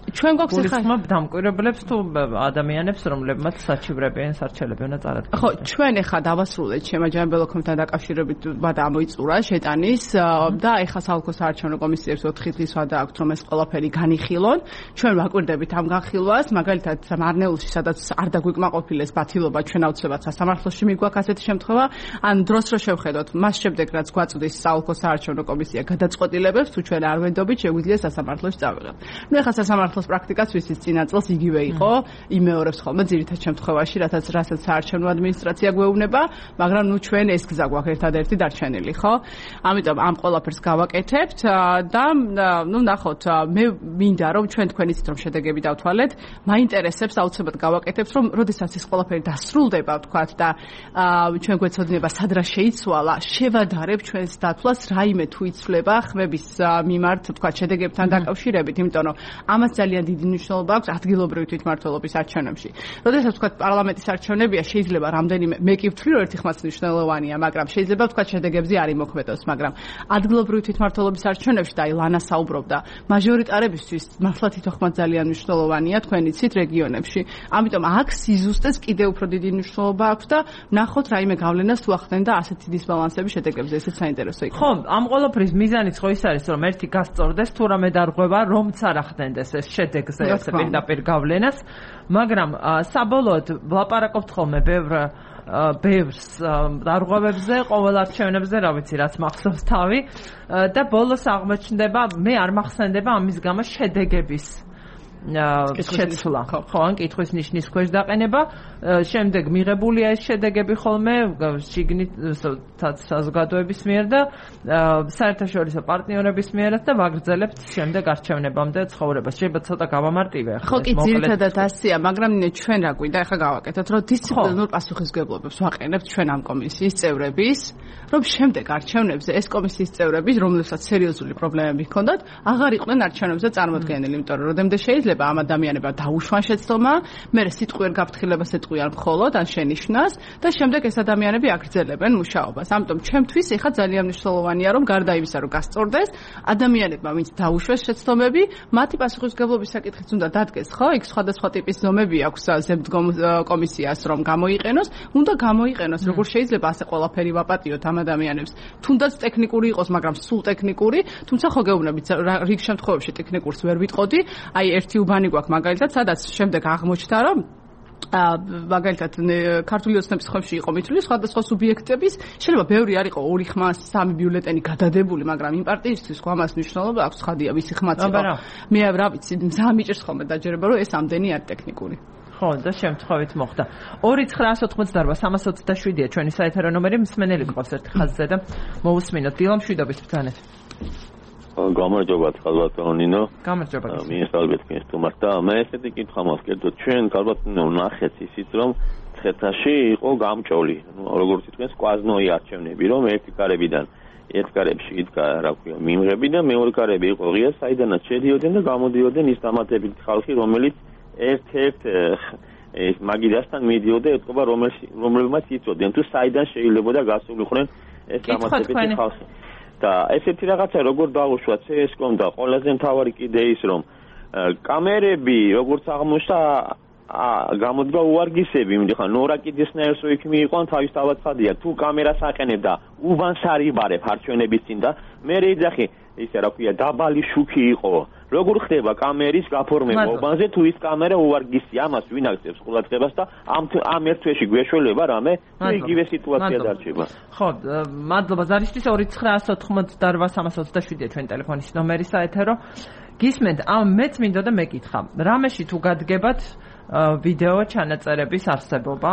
ჩვენ გვაქვს ახლა დამკვირვებლებს თუ ადამიანებს, რომლებმაც საჩივრებიან სარჩელები უნდა წარადგინონ. ხო, ჩვენ ახლა დავასრულეთ შემაჯამებლობთან დაკავშირებით და ამოიწურა შეტანის და ახლა საალკო საარჩევნო კომისიებს ოთხი დღის ვადა აქვთ, რომ ეს ყველაფერი განიხილონ. ჩვენ ვაკვირდებით ამ განხილვას, მაგალითად მარნეულში, სადაც არ დაგვიკმაყოფილეს ბათილობა, ჩვენ აუცილებლად სასამართლოში მიგვაქვს ასეთი შემთხვევა, ან დროს რო შევხედოთ, მას შემდეგ რაც გვაწვდის საალკო საარჩევნო კომისია გადაწყვეტილებებს, თუ ჩვენ არ ვენდობით, შეგვიძლია სასამართლოში წავიღოთ. ნუ ახლა სასამართლოს პრაქტიკაც ვისის წინა წელს იგივე იყო, იმეორებს ხოლმე ძირითად შემთხვევაში, რასაც რასაც საარჩევნო ადმინისტრაცია გვეუბნება, მაგრამ ნუ ჩვენ ეს გზა გვაქვს ერთადერთი დარჩენილი, ხო? ამიტომ ამ ყველაფერს გავაკეთებთ და ნუ ნახოთ, მე მინდა რომ ჩვენ თქვენ იცით რომ შედეგები დავთვალეთ, მაინტერესებს აუცილებლად გავაკეთებთ, რომ როდესაც ეს ყველაფერი დასრულდება, ვთქვათ და ჩვენ გვეცოდინება სად რა შეიცვალა, შევადარებ ჩვენს დათვლას რაიმე თუ იცვლება ხმების მიმართ, ვთქვათ შედეგებთან დაკავშირებით, იმიტომ რომ ამას ძალიან დიდი მნიშვნელობა აქვს ადგილობრივი თვითმმართველობის არჩევნებში. როდესაც ვთქვათ პარლამენტის არჩევნებია, შეიძლება რამდენიმე მე კი ვთვლი რომ ერთი ხმაც მნიშვნელოვანია, მაგრამ შეიძლება ვთქვათ შედეგებზე არ იმოქმედოს, მაგრამ ადგილობრივი თვითმმართველობის არჩევნებში და აი ლანა საუბრობდა, მაჟორიტარებისთვის მართლა თვითოხმაც ძალიან მნიშვნელოვანია, თქვენ იცით რეგიონებში. ამიტომ აქ სიზუსტეს კიდევ უფრო დიდი მნიშვნელობა აქვს და ნახოთ რაიმე გავლენას თუ ახდენ და ასეთი დისბალანსები შედეგებზე, ესეც საინტერესო იქნება. ხო, ამ ყველაფრის მიზანიც ხო ის არის, რომ ერთი გასწორდეს თუ რამე დარღვევა, რომც არ ახდენდეს ეს შედეგზე ეს პირდაპირ გავლენას, მაგრამ საბოლოოდ ვლაპარაკობთ ხოლმე ბევრ ბევრს დარღვევებზე, ყოველ არჩევნებზე, რა ვიცი, რაც მახსოვს თავი და ბოლოს აღმოჩნდება, მე არ მახსენდება ამის გამო შედეგების შეცვლა, ხო, ან კითხვის ნიშნის ქვეშ დაყენება, შემდეგ მიღებულია ეს შედეგები ხოლმე შიგნით საზოგადოების მიერ და საერთაშორისო პარტნიორების მიერაც და ვაგრძელებთ შემდეგ არჩევნებამდე ცხოვრებას. შეიძლება ცოტა გავამარტივე ახლა. ხო, კი, ძირითადად ასია, მაგრამ ჩვენ რა გვინდა ახლა გავაკეთოთ, რომ დისციპლინურ პასუხისმგებლობებს ვაყენებთ ჩვენ ამ კომისიის წევრების, რომ შემდეგ არჩევნებზე ეს კომისიის წევრები, რომლებსაც სერიოზული პრობლემები ჰქონდათ, აღარ იყვნენ არჩევნებზე წარმოდგენილი, იმიტომ რომ როდემდე შეიძლება ამ ადამიანებმა დაუშვან შეცდომა, მე სიტყვიერ გაფრთხილებას ეტყვიან მხოლოდ ან შენიშვნას და შემდეგ ეს ადამიანები აგრძელებენ მუშაობას. ამიტომ ჩემთვის ეხა ძალიან მნიშვნელოვანია, რომ გარდა იმისა, რომ გასწორდეს, ადამიანებმა, ვინც დაუშვეს შეცდომები, მათი პასუხისმგებლობის საკითხიც უნდა დადგეს, ხო? იქ სხვადასხვა ტიპის ზომები აქვს ზემდგომ კომისიას, რომ გამოიყენოს, უნდა გამოიყენოს, როგორ შეიძლება ასე ყველაფერი ვაპატიოთ ამ ადამიანებს. თუნდაც ტექნიკური იყოს, მაგრამ სულ ტექნიკური, თუმცა ხო გეუბნებით, რიგ შემთხვევებში ტექნიკურს ვერ ვიტყოდი, აი ერთი უბანი გვაქვს მაგალითად, სადაც შემდეგ აღმოჩნდა, რომ მაგალითად ქართული ოცნების ხმებში იყო მითვლი სხვადასხვა სუბიექტების, შეიძლება ბევრი არ იყო ორი ხმა, სამი ბიულეტენი გადადებული, მაგრამ იმ პარტიისთვის ხო ამას მნიშვნელობა აქვს, ხადია ვისი ხმაც იყო. მე რა ვიცი, მზა მიჭერს ხოლმე დაჯერება, რომ ეს ამდენი არ ტექნიკური. ხო, და შემთხვევით მოხდა. ორი ცხრაასი ოცდაოთხი სამას ოცდაშვიდია ჩვენი საეთერო ნომერი, მსმენელი გყავს ერთი ხაზზე და მოусმინოთ. დილა მშვიდობით ბრძანეთ. გამარჯობათ ხალბატონო ნინო. გამარჯობა. მინისტრალბეთ კინსტუმარს და მე ესეთი კითხვა მოვსკერდოთ, ჩვენ ხალბატონო ნახეთ ისიც რომ ცხეთაში იყო გამჭოლი, ну როგორც იტყვეს კვაზნოი არჩევნები, რომ ერთი კარებიდან ერთ კარებში იდგა რა ქვია მიმღები და მეორე კარები იყო ღია, საიდანაც შედიოდნენ და გამოდიოდნენ ის დამატებითი ხალხი, რომელიც ერთ-ერთ ეს მაგიდასთან მიდიოდა ეთყობა რომელმაც იწოდნენ თუ საიდან შეიძლებოდა გასულიყვნენ ეს დამატებითი ხალხი. და ესეთი რაღაცა როგორ დაუშვა ცესკომ და ყველაზე მთავარი კიდე ის რომ კამერები როგორც აღმოჩნდა გამოდგა უარგისები, მითხა ნორა კიდესნაირს რო იქ მიიყვან თავისთავად ხადია თუ კამერას აყენებ და უბანს არიბარებ არჩევნების წინ და მე რეიძახი ისე რა ქვია დაბალი შუქი იყო როგორ ხდება კამერის გაფორმება უბანზე თუ ის კამერა უარგისი ამას ვინ აქცევს ყურადღებას და ამ ამ ერთ თვეში გვეშველება რამე თუ იგივე სიტუაცია დარჩება. ხო, მადლობა ზარისთვის ორი ცხრაასი ოცდაოთხი სამას ოცდაშვიდია ჩვენ ტელეფონის ნომერი საეთერო. გისმენთ, ამ მეც მინდოდა მეკითხა. რამეში თუ გადგებათ ვიდეო ჩანაწერების არსებობა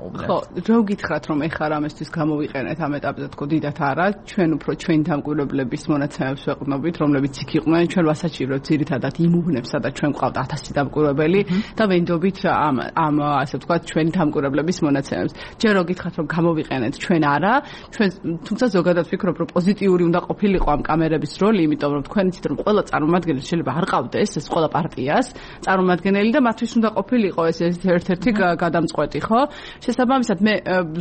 უბრალოდ. ხო, რო გითხრათ რომ ეხლა რამესთვის გამოვიყენეთ ამ ეტაპზე თქო დიდათ არა, ჩვენ უფრო ჩვენი დამკვირვებლების მონაცემებს ვეყრდნობით, რომლებიც იქ იყვნენ, ჩვენ ვასაჩივრებთ ძირითადად იმ უბნებს, სადაც ჩვენ გვყავთ ათასი დამკვირვებელი და ვენდობით ამ ამ ასე ვთქვათ ჩვენი დამკვირვებლების მონაცემებს. ჯერ რო გითხრათ რომ გამოვიყენეთ, ჩვენ არა, ჩვენ თუმცა ზოგადად ვფიქრობ რომ პოზიტიური უნდა ყოფილიყო ამ კამერების როლი, იმიტომ რომ თქვენ იცით რომ ყველა წარმომადგენელი შეიძლება არ ყავდეს ეს ყველა პარტიას წარმომადგენელი და მათთვის უნდა უნდა ყოფილიყო ეს ერთ-ერთი გადამწყვეტი, ხო? შესაბამისად მე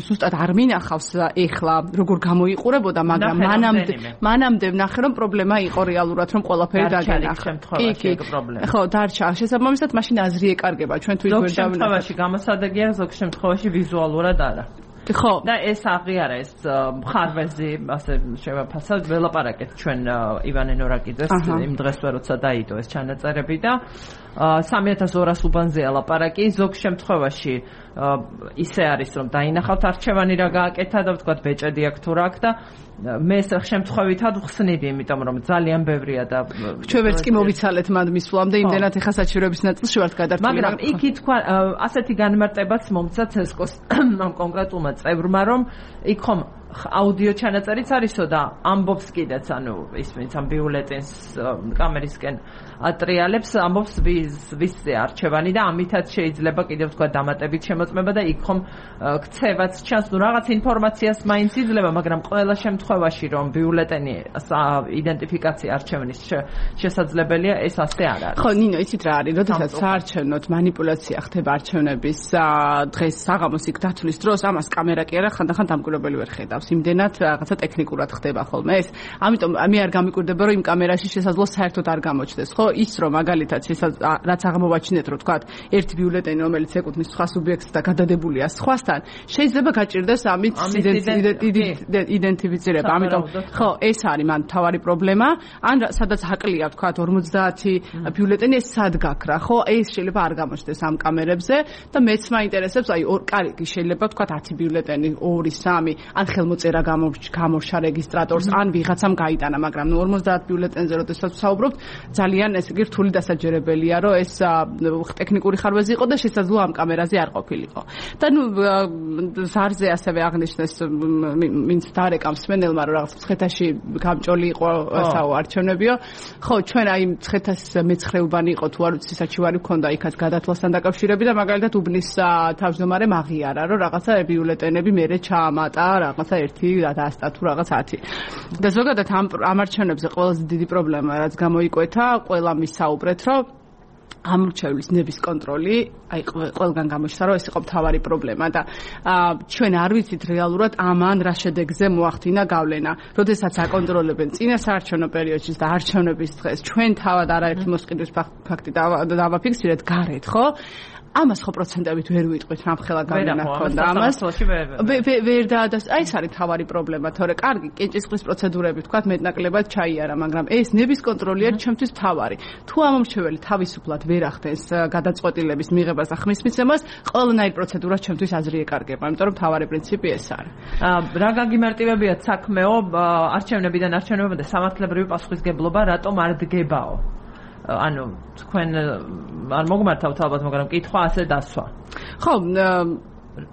ზუსტად არ მინახავს ეხლა როგორ გამოიყურებოდა, მაგრამ მანამდე მანამდე ვნახე რომ პრობლემა იყო რეალურად რომ ყველაფერი დაგენახა. კი, კი. ხო, დარჩა. შესაბამისად მაშინ აზრი ეკარგება ჩვენ თუ ზოგ შემთხვევაში გამოსადეგია, ზოგ შემთხვევაში ვიზუალურად არა. ხო და ეს აღიარა ეს მხარვეზი ასე შევაფასოთ ველაპარაკეთ ჩვენ ივანე ნორაკიძეს იმ დღესვე როცა დაიდო ეს ჩანაწერები და სამი ათას ორას უბანზეა ლაპარაკი ზოგ შემთხვევაში ისე არის რომ დაინახავთ არჩევანი რა გააკეთა და ვთქვათ ბეჭედი აქ თუ რა აქ და მე ეს შემთხვევითად ვხსნიდი იმიტომ რომ ძალიან ბევრია და ჩვენ ვერც კი მოვიცალეთ მანდ მისვლამდე იმდენად ეხა საჩივრების ნაწილში ვართ გადართული მაგრამ იქ თქვა ასეთი განმარტებაც მომცა ცესკოს ამ კონკრეტულმა წევრმა რომ იქ ხომ აუდიო ჩანაწერიც არისო და ამბობს კიდეც ანუ ისმენს ამ ბიულეტენს კამერისკენ ატრიალებს ამბობს ვისზე არჩევანი და ამითაც შეიძლება კიდევ თქვა დამატებით შემოწმება და იქ ხომ ქცევაც ჩანს ნუ რაღაც ინფორმაციას მაინც იძლევა მაგრამ ყველა შემთხვევაში რომ ბიულეტენი იდენტიფიკაცია არჩევნის შესაძლებელია ეს ასე არ არის ხო ნინო იცით რა არის როდესაც საარჩევნოდ манипуляცია ხდება არჩევნების დღეს საღამოს იქ დათვლის დროს ამას კამერა კი არა ხანდახან დამკვირვებელი ვერ ხედავს იმდენად რაღაცა ტექნიკურად ხდება ხოლმე ეს ამიტომ მე არ გამიკვირდება რომ იმ კამერაში შესაძლოა საერთოდ არ გამოჩნდეს ხო ის რომ მაგალითად რაც აღმოვაჩინეთ რომ თქვა ერთი ბიულეტენი რომელიც ეკუთვნის სხვა სუბიექტს და გადადებულია სხვასთან შეიძლება გაჭირდეს ამით იდენტიფიცირება ამიტომ ხო ეს არის მან თავარი პრობლემა ან სადაც აკლია თქვა ორმოცდაათი ბიულეტენი ეს სად გაქრა ხო ეს შეიძლება არ გამოჩნდეს ამ კამერებზე და მეც მაინტერესებს აი კარგი შეიძლება თქვა ათი ბიულეტენი ორი სამი ან ხელმოწერა გამორჩა რეგისტრატორს ან ვიღაცამ გაიტანა მაგრამ ნუ ორმოცდაათ ბიულეტენზე როდესაც ვსაუბრობთ ძალიან ესე იგი რთული დასაჯერებელია რომ ეს ტექნიკური ხარვეზი იყო და შესაძლოა ამ კამერაზე არ ყოფილიყო და ნუ ზარზე ასევე აღნიშნეს ვინც დარეკამს მენელმა რომ რაღაც მცხეთაში გამჭოლი იყო ასაო არჩევნებიო ხო ჩვენ აი მცხეთას მეცხრეუბანი იყო თუ არ ვიცი საჩივარი ქონდა იქაც გადათვლასთან დაკავშირებით და მაგალითად უბნის თავმჯდომარემ აღიარა რომ რაღაცა ბიულეტენები მერე ჩაამატა რაღაცა ერთი დაასტა თუ რაღაც ათი და ზოგადად ამ ამარჩევნებზე ყველაზე დიდი პრობლემა რაც გამოიკვეთა ყველა მისაუბრეთ რომ ამრჩევლის ნების კონტროლი აი ყველგან გამოჩნდა რომ ეს იყო მთავარი პრობლემა და ჩვენ არ ვიცით რეალურად ამან რა შედეგზე მოახდინა გავლენა როდესაც აკონტროლებენ წინა საარჩევნო პერიოდში და არჩევნების დღეს ჩვენ თავად არაერთი მოსყიდვის ფაქტი დავაფიქსირეთ გარეთ ხო ამას ხო პროცენტებით ვერ ვიტყვით რამხელა გავლენა ჰქონდა ამას ვერ დაადას აი ეს არის თავარი პრობლემა თორე კარგი კენჭისყრის პროცედურები თქვა მეტნაკლებად ჩაიარა მაგრამ ეს ნების კონტროლი არის ჩემთვის თავარი თუ ამომრჩეველი თავისუფლად ვერ ახდენს გადაწყვეტილების მიღებას და ხმის მიცემას ყველანაირ პროცედურას ჩემთვის აზრი ეკარგება იმიტომ რომ თავარი პრინციპი ეს არის რა გაგიმარტივებიათ საქმეო არჩევნებიდან არჩევნებამდე სამართლებრივი პასუხისგებლობა რატომ არ დგებაო ანუ თქვენ არ მოგმართავთ ალბათ მაგრამ კითხვა ასე დასვა ხო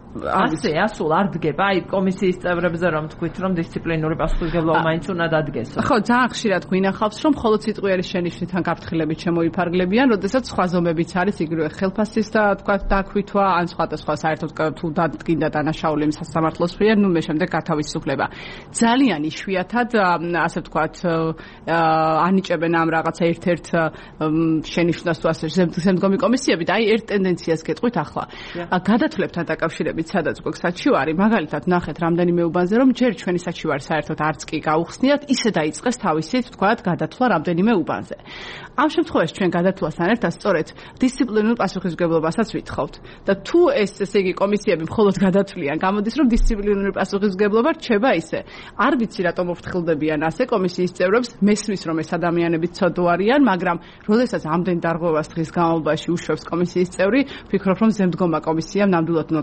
ასე ასულ არ დგება აი კომისიის წევრებზე რომ თქვით რომ დისციპლინური პასუხისმგებლობა მაინც უნდა დადგეს ხო ძალიან ხშირად გვინახავს რომ მხოლოდ სიტყვიერი შენიშვნით ან გაფრთხილებით შემოიფარგლებიან როდესაც სხვა ზომებიც არის იგივე ხელფასის და თქვა დაქვითვა ან სხვადასხვა საერთოდ თუ დადგინდა დანაშაული სასამართლოს მიერ ნუ მე შემდეგ გათავისუფლება ძალიან იშვიათად ასე ვთქვათ ანიჭებენ ამ რაღაცა ერთ-ერთ შენიშვნას თუ ასე შემდგომი კომისიები და აი ერთ ტენდენციას გეტყვით ახლა გადათვლებთან დაკავშირებით სადაც გვაქვს საჩივარი, მაგალითად ნახეთ რამდენიმე უბანზე რომ ჯერ ჩვენი საჩივარი საერთოდ არც კი გაუხსნიათ, ისე დაიწყეს თავისით, თქვათ, გადათვლა რამდენიმე უბანზე. ამ შემთხვევაში ჩვენ გადათვლასთან ერთად სწორედ დისციპლინურ პასუხისმგებლობასაც ვითხოვთ. და თუ ეს ესე იგი კომისიები მხოლოდ გადათვლიან, გამოდის რომ დისციპლინური პასუხისმგებლობა რჩება ისე. არ ვიცი რატომ მოფრთხილდებიან ასე კომისიის წევრებს, მესმის რომ ეს ადამიანები ცოდო არიან, მაგრამ როდესაც ამდენ დარღვევას დღის განმავლობაში უშვებს კომისიის წევრი, ვფიქრობ რომ ზემდგომა კომისიამ ნამდვილად უნდა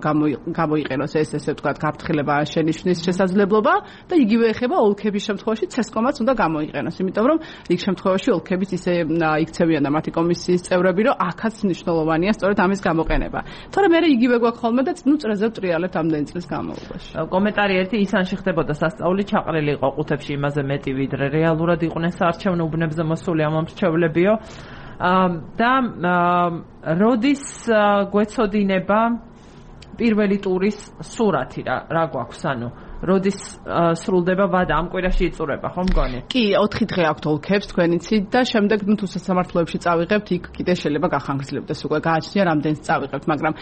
გამოიყენოს ეს ესე ვთქვათ გაფრთხილება შენიშვნის შესაძლებლობა და იგივე ეხება ოლქების შემთხვევაში ცესკომაც უნდა გამოიყენოს, იმიტომ რომ იქ შემთხვევაში ოლქებიც ისე იქცევიან და მათი კომისიის წევრები, რომ აქაც მნიშვნელოვანია სწორედ ამის გამოყენება. თორემ მე იგივე გვაქვს ხოლმე და ნუ წრეზე ვტრიალებთ ამდენი წლის განმავლობაში. კომენტარი ერთი ისანში ხდებოდა სასწაული ჩაყრილი იყო ყუთებში იმაზე მეტი ვიდრე რეალურად იყვნენ საარჩევნო უბნებზე მოსული ამომრჩევლებიო. და როდის გვეცოდინება პირველი ტურის სურათი რა რა გვაქვს ანუ როდის სრულდება ვადა ამ კვირაში იწურება ხო მგონი? კი, ოთხი დღე აქვთ ოლქებს თქვენიცით და შემდეგ ნუ თუ სასამართლოებში წავიღებთ, იქ კიდე შეიძლება გახანგრძლივდეს უკვე გააჩნია რამდენს წავიღებთ, მაგრამ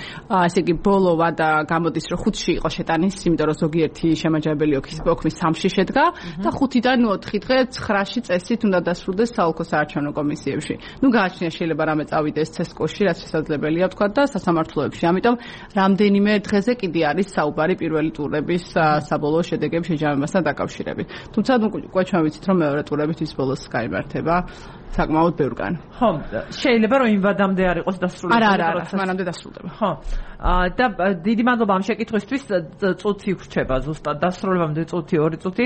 ესე იგი ბოლო ვადა გამოდის რომ ხუთში იყო შეტანის, იმიტომ რომ ზოგიერთი შემაჯამებელი ოქმის სამში შედგა და ხუთიდან ოთხი დღე ცხრაში წესით უნდა დასრულდეს საოლქო საარჩევნო კომისიებში. ნუ გააჩნია შეიძლება რამე წავიდეს ცესკოში, რაც შესაძლებელია თქვა და სასამართლოებში. ამიტომ რამდენიმე დღეზე კიდე არის საუბარი პირველი ტურების საბოლოო შედეგების შეჯამებასთან დაკავშირებით. თუმცა ნუ უკვე ჩვენ ვიცით რომ მეორე ტურებით ის ბოლოს გაიმართება საკმაოდ ბევრგან. ხო, შეიძლება რომ იმ ვადამდე არ იყოს დასრულებული. არა, არა, არა, მანამდე დასრულდება. ხო. და დიდი მადლობა ამ შეკითხვისთვის, წუთი ვრჩება ზუსტად დასრულებამდე წუთი, ორი წუთი.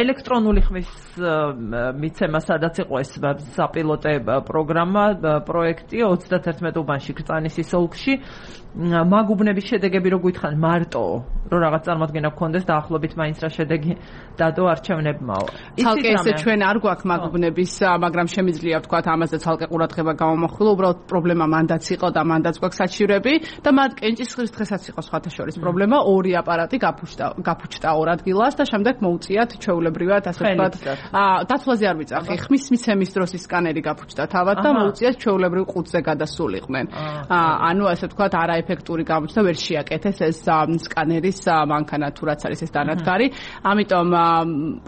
ელექტრონული ხმის მიცემა სადაც იყო ეს საპილოტე პროგრამა, პროექტი ოცდაათი უბანში ქრწანისის ოლქში. მაგუბნების შედეგები რო გითხან მარტო რომ რაღაც წარმოადგენა გქონდეს დაახლოებით მაინც რა შედეგი დადო არჩევნებმაო. ცალკე ესე ჩვენ არ გვაქვს მაგუბნების, მაგრამ შემიძლია ვთქვათ ამაზე ცალკე ყურადღება გამომახვილო, უბრალოდ პრობლემა მანდაც იყო და მანდაც გვაქვს საჩივრები და მათ კენჭისყრის დღესაც იყო სხვათა შორის პრობლემა, ორი აპარატი გაფუჭდა, გაფუჭდა ორ ადგილას და შემდეგ მოუწიათ ჩვეულებრივად ასე ვთქვათ, დათვლაზე არ ვიწახი, ხმის მიცემის დროს ის სკანერი გაფუჭდა თავად და მოუწიათ ჩვეულებრივ ყუთზე გადასულიყვნენ. ანუ ასე ვთქვათ, არა ეფექტური გამოჩნდა, ვერ შეაკეთეს ეს სკანერის მანქანა თუ რაც არის ეს დანადგარი. ამიტომ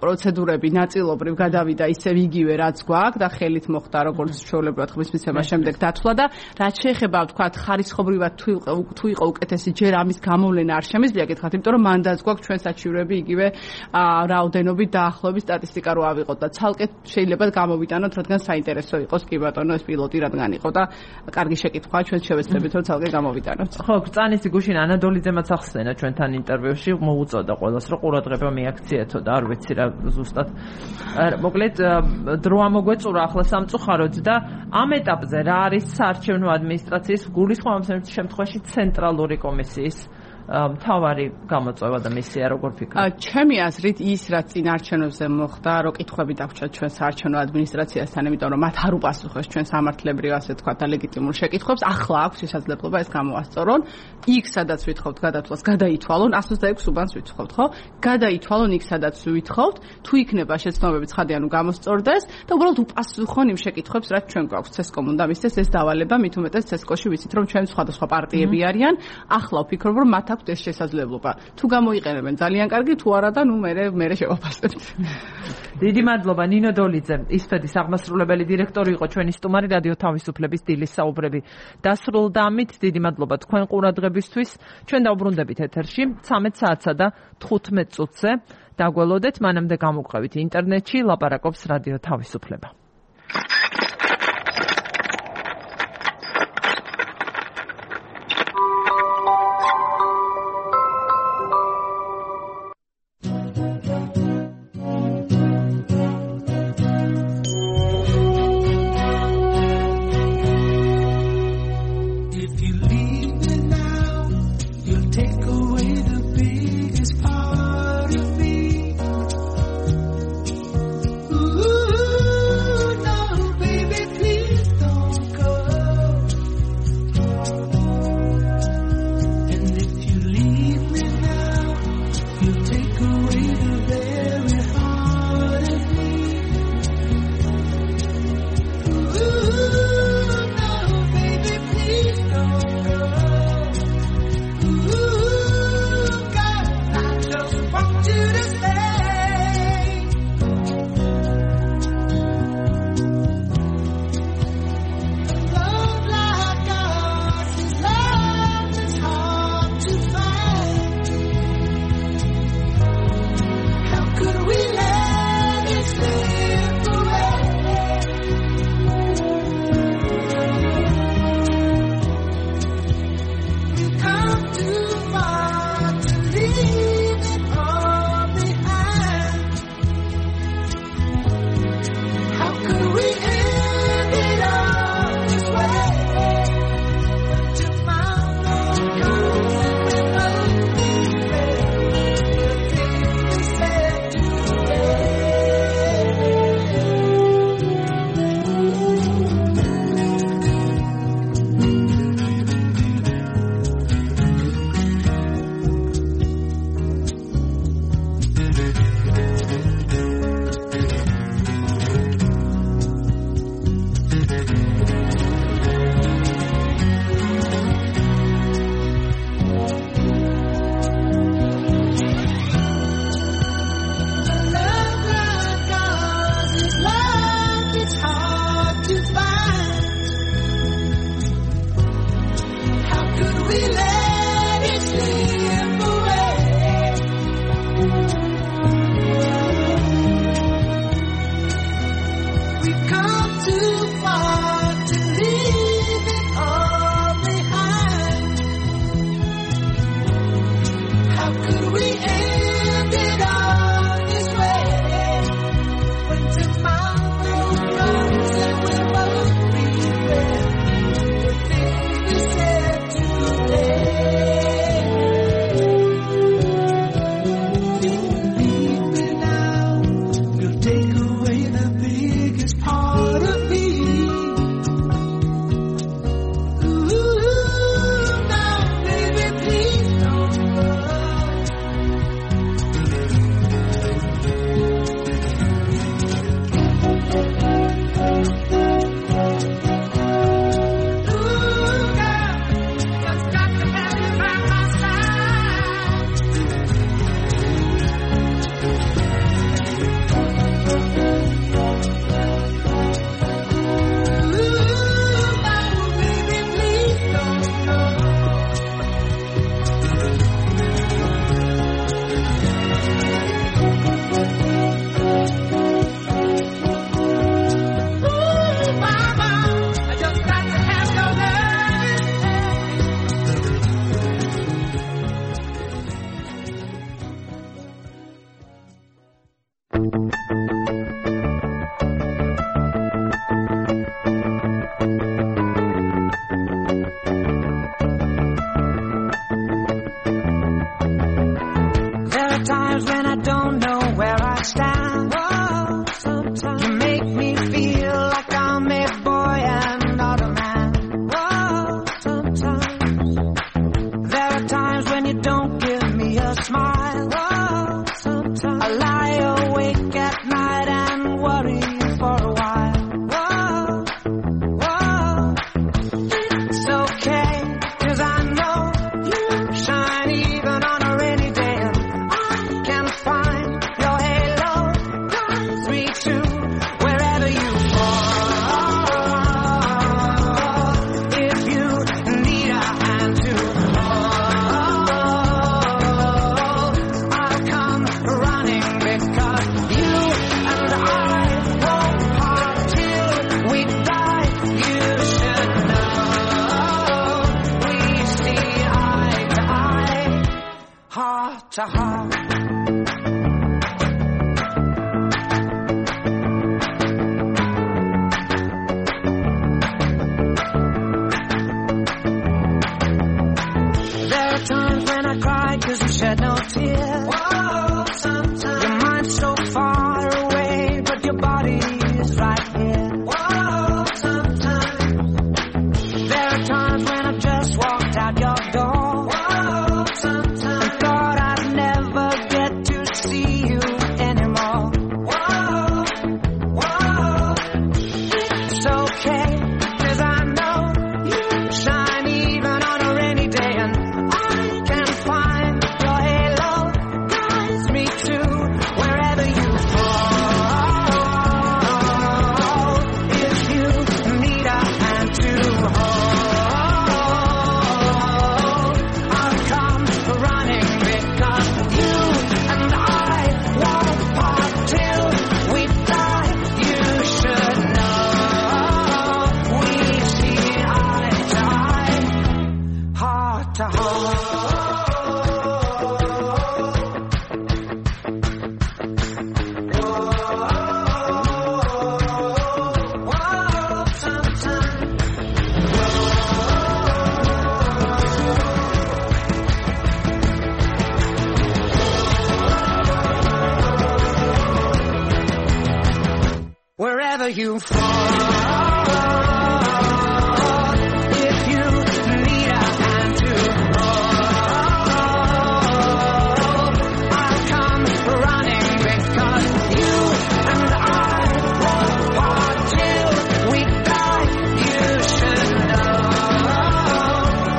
პროცედურები ნაწილობრივ გადავიდა ისევ იგივე რაც გვაქვს და ხელით მოხდა როგორც ჩვეულებრივად ხმის მიცემა შემდეგ დათვლა და რაც შეეხება ვთქვათ ხარისხობრივად თუ თუ იყო უკეთესი ჯერ ამის გამოვლენა არ შემიძლია გითხრათ, იმიტომ რომ მანდაც გვაქვს ჩვენ საჩივრები იგივე რაოდენობით დაახლოებით სტატისტიკა რო ავიღოთ და ცალკე შეიძლება გამოვიტანოთ, რადგან საინტერესო იყოს კი ბატონო ეს პილოტი რადგან იყო და კარგი შეკითხვაა, ჩვენ შევეცდებით რომ ცალკე გამოვიტანოთ. ხო, კრწანისი გუშინ ანადოლიძემაც ახსენა ჩვენთან ინტერვიუში, მოუწოდა ყველას რომ ყურადღება მიაქციეთო და არ ვიცი რა ზუსტად. მოკლედ დრო ამოგვეწურა ახლა სამწუხაროდ და ამ ეტაპზე რა არის საარჩევნო ადმინისტრაციის გულისხმობ შემთხვევაში ცენტრალური კომისიის მთავარი გამოწვევა და მისია როგორ ფიქრობთ? ჩემი აზრით ის რაც წინ არჩევნებზე მოხდა, რო კითხვები დაგვჭირდა ჩვენ საარჩევნო ადმინისტრაციასთან, იმიტომ რომ მათ არ უპასუხეს ჩვენ სამართლებრივ ასე თქვა და ლეგიტიმურ შეკითხვებს, ახლა აქვს შესაძლებლობა ეს გამოასწორონ. იქ სადაც ვითხოვთ გადათვლას, გადაითვალონ, ასი ოცდაექვსი უბანს ვითხოვთ, ხო? გადაითვალონ იქ სადაც ვითხოვთ, თუ იქნება შეცდომები ცხადი ანუ გამოსწორდეს და უბრალოდ უპასუხონ იმ შეკითხვებს, რაც ჩვენ გვაქვს ცესკომ უნდა მისცეს ეს დავალება, მით უმეტეს ცესკოში ვიცით რომ ჩვენ სხვადასხვა პარტიები არიან. ახლა ვფიქრობ რომ მათ ეს შესაძლებლობა. თუ გამოიყენებენ ძალიან კარგი, თუ არა და ნუ მე მე შევაფასებთ. დიდი მადლობა ნინო დოლიძე, ისფედის აღმასრულებელი დირექტორი იყო ჩვენი სტუმარი რადიო თავისუფლების დილის საუბრები. დასრულდა ამით, დიდი მადლობა თქვენ ყურადღებისთვის. ჩვენ დავბრუნდებით ეთერში ცამეტ საათსა და თხუთმეტ წუთზე. დაგველოდეთ, მანამდე გამოგყევით ინტერნეტში ლაპარაკობს რადიო თავისუფლება. Ooh. too, wherever you fall. If you need a hand to hold, I'll come running because you and I won't part till we die. You should know we see eye to eye, heart to heart. There are times when I cry 'cause you shed no tears. Whoa, sometimes your mind's so far away, but your body is right here. Whoa, sometimes there are times when I've just walked out your door. Whoa, sometimes and thought I'd never get to see you anymore. Whoa, whoa, it's okay 'cause I know you shine even on a rainy day, and I can find your halo guides me to wherever you fall. If you need a hand to hold, I'll come running because you and I won't part till we die. You should know we see eye to eye, heart to heart. Wherever you fall, if you need a hand to hold, I'll come running because you and I won't part till we die. You should know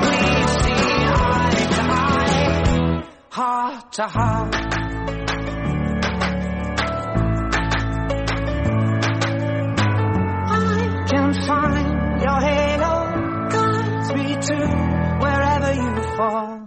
we see eye to eye, heart to heart. Can find your halo guides me to wherever you fall.